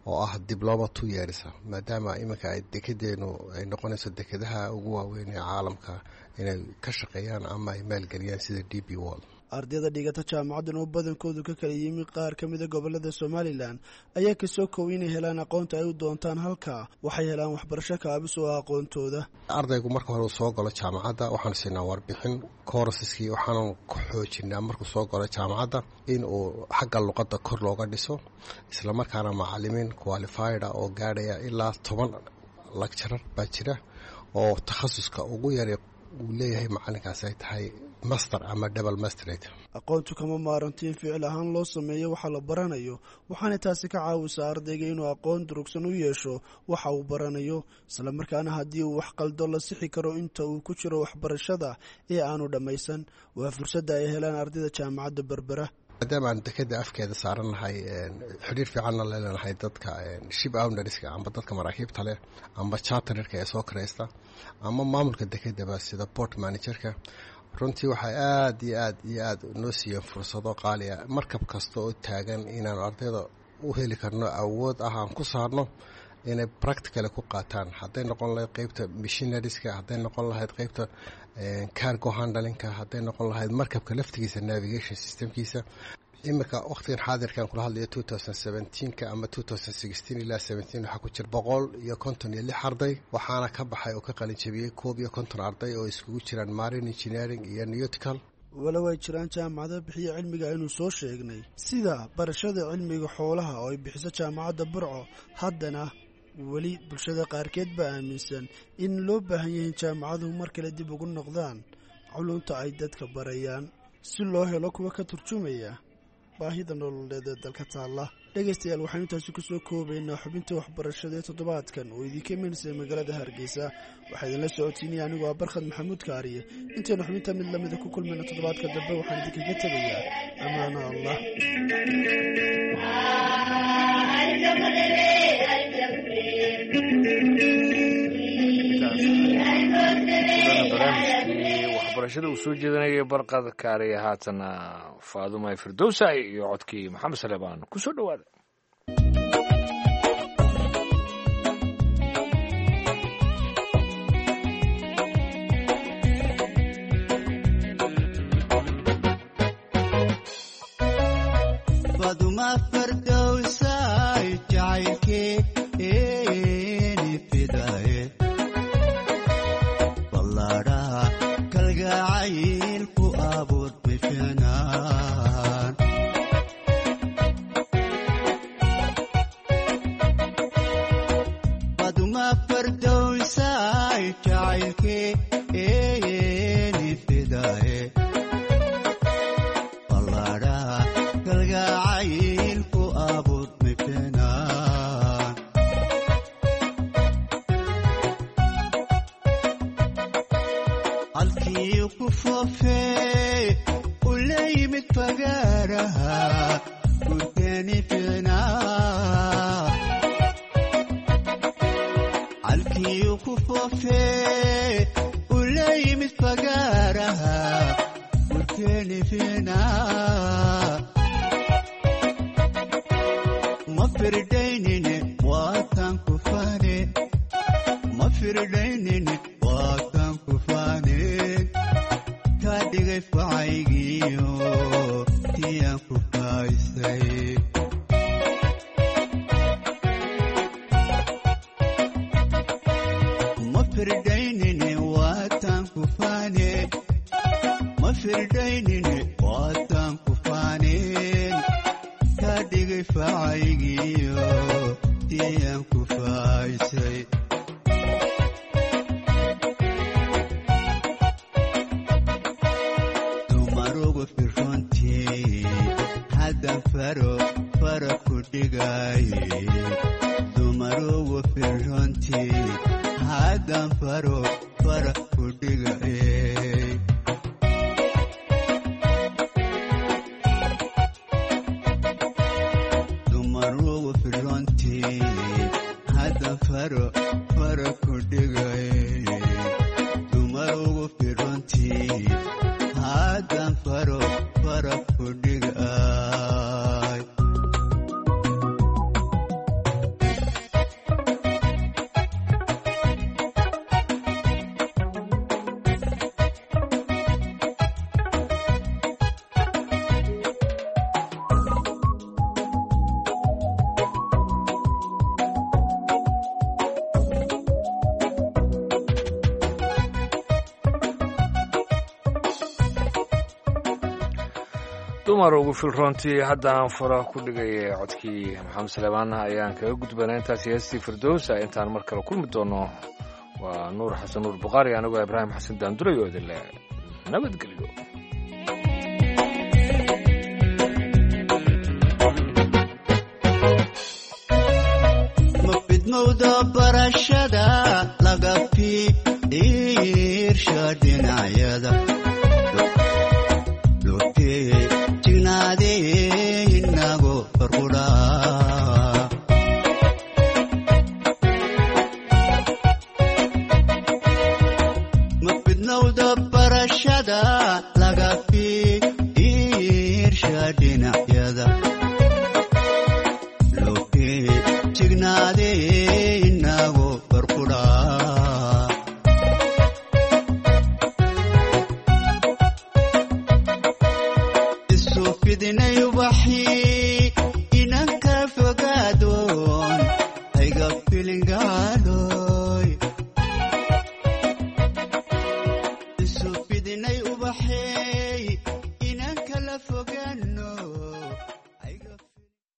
oo ah diploma two years, maadaama iminka ay dekedeenu ay noqonayso dekedaha ugu waaweyn ee caalamka inay ka shaqeeyaan ama ay maalgeliyaan sida D P World.
Ardayda dhigata jaamacaddan oo badankoodu ka kala yimi qaar ka mida gobolada Somalilan ayaa kasoo kow inay helaan aqoonta ay u doontaan halkaa. Waxay helaan waxbarasho kaabis oo aqoontooda.
Ardaygu marka hore uu soo galo jaamacadda waxaanu siinaa warbixin koorsaskii, waxaanu ku xoojinaa markuu soo galo jaamacadda in uu xagga luqadda kor looga dhiso, islamarkaana macalimiin qualified ah oo gaadhaya ilaa toban lecturer baa jira oo takhasuska ugu yara uu leeyahay macalinkaasi ay tahay master ama double masterate.
Aqoontu kama maaranto in ficil ahaan loo sameeyo waxa la baranayo, waxaana taasi ka caawisaa ardayga inuu aqoon durugsan u yeesho waxa uu baranayo, islamarkaana haddii uu wax qaldo la sixi karo inta uu ku jiro waxbarashada ee aanu dhammaysan. Waa fursadda ay helaan ardayda jaamacadda Berbera.
Maadaama aan dekeda afkeeda saarannahay, xidhiir fiicanna leenahay dadka ship ownerska amba dadka maraakiibta leh amba chartererka ee soo kiraysta ama maamulka dekedaba sida port managerka, runtii waxay aada iyo aad iyo aada noo siiyeen fursado qaali ah. Markab kasta oo taagan inaanu ardayda u heli karno awood ah aan ku saarno Inay practical ku qaataan, hadday noqon lahayd qeybta machinerieska, hadday noqon lahayd qeybta cargo handlingka, hadday noqon lahayd markabka laftigiisa navigation systemkiisa. Iminka waqtigan xaadirkan kula hadlayo, two thousand seventeenka ama two thousand sixteen ilaa seventeen, waxaa ku jira boqol iyo konton iyo lix arday, waxaana ka baxay oo ka qalin jabiyey koob iyo konton arday oo iskugu jiraan marine engineering iyo nautical.
Walow ay jiraan jaamacado bixiya cilmiga aynu soo sheegnay, sida barashada cilmiga xoolaha oo ay bixiso Jaamacadda Burco, haddana weli bulshada qaarkeed baa aaminsan in loo baahan yahay jaamacaduhu mar kale dib ugu noqdaan culunta ay dadka barayaan, si loo helo kuwa ka turjumaya baahida nololeed ee dalka taalla. Dhegaystayaal, waxaynu intaasi kusoo koobaynaa xubinta waxbarashada ee toddobaadkan oo idinka imaneysay magaalada Hargeysa. Waxaa idinla socotiinaya anigoo ah Barkhad Maxamuud Kaariye. Intaynu xubinta mid lamida ku kulmayna toddobaadka dambe, waxaan idinkaga tegayaa ammaano Allah.
Barnaamijkii waxbarashada uu soo jeedinayay Barqad Kaariye. Haatana Faaduma Firdowsa iyo codkii Maxamed Saleebaan, kusoo dhowaada.
Faduma Fardowsay, jacaylkeeni fidaye, ballaadhaha kalgacayl ku abuur bifinaan. Faduma Fardowsay, jacaylkeeni fidaye, ballaadhaha kalgacayl ku abuur bifinaan. Halkii ku foofee u la yimid fagaaraha gurkeeni ficnaa. Halkii ku foofee u la yimid fagaaraha gurkeeni ficnaa. Ma firdaynine waatan ku faane, ma firdaynine waatan ku faane, ka dhigay facaygiyo tiyaan ku faaysay. Ma firdaynine waatan ku faane, ma firdaynine waatan ku faaneen, ka dhigay facaygiyo tiyaan ku faaysay. Dumarugu firrontii haddan faro fara ku dhigaye, dumarugu firrontii haddan faro fara ku dhigaye. Dumarugu firrontii haddan faro fara ku dhigaye, dumarugu firrontii haddan faro fara ku dhigay.
Dumar ugu filroontii haddaan fura ku dhigay, codkii Maxamed Saleebaan ayaan kaga gudbanaa intaasi heestii Firdowsa. Intaan mar kale kulmi doono, waa Nuur Xasan Nuur Bukhaari, anigoo Ibraahim Xasan Daanduray oo idin leh nabadgelyo.
Ma fidmowda barashada laga fiirsha dhinacyada dhulkee jignaadee inago farqudhaa. Ma fidnowda barashada laga fiirsha dhinacyada dhulkee jignaadee.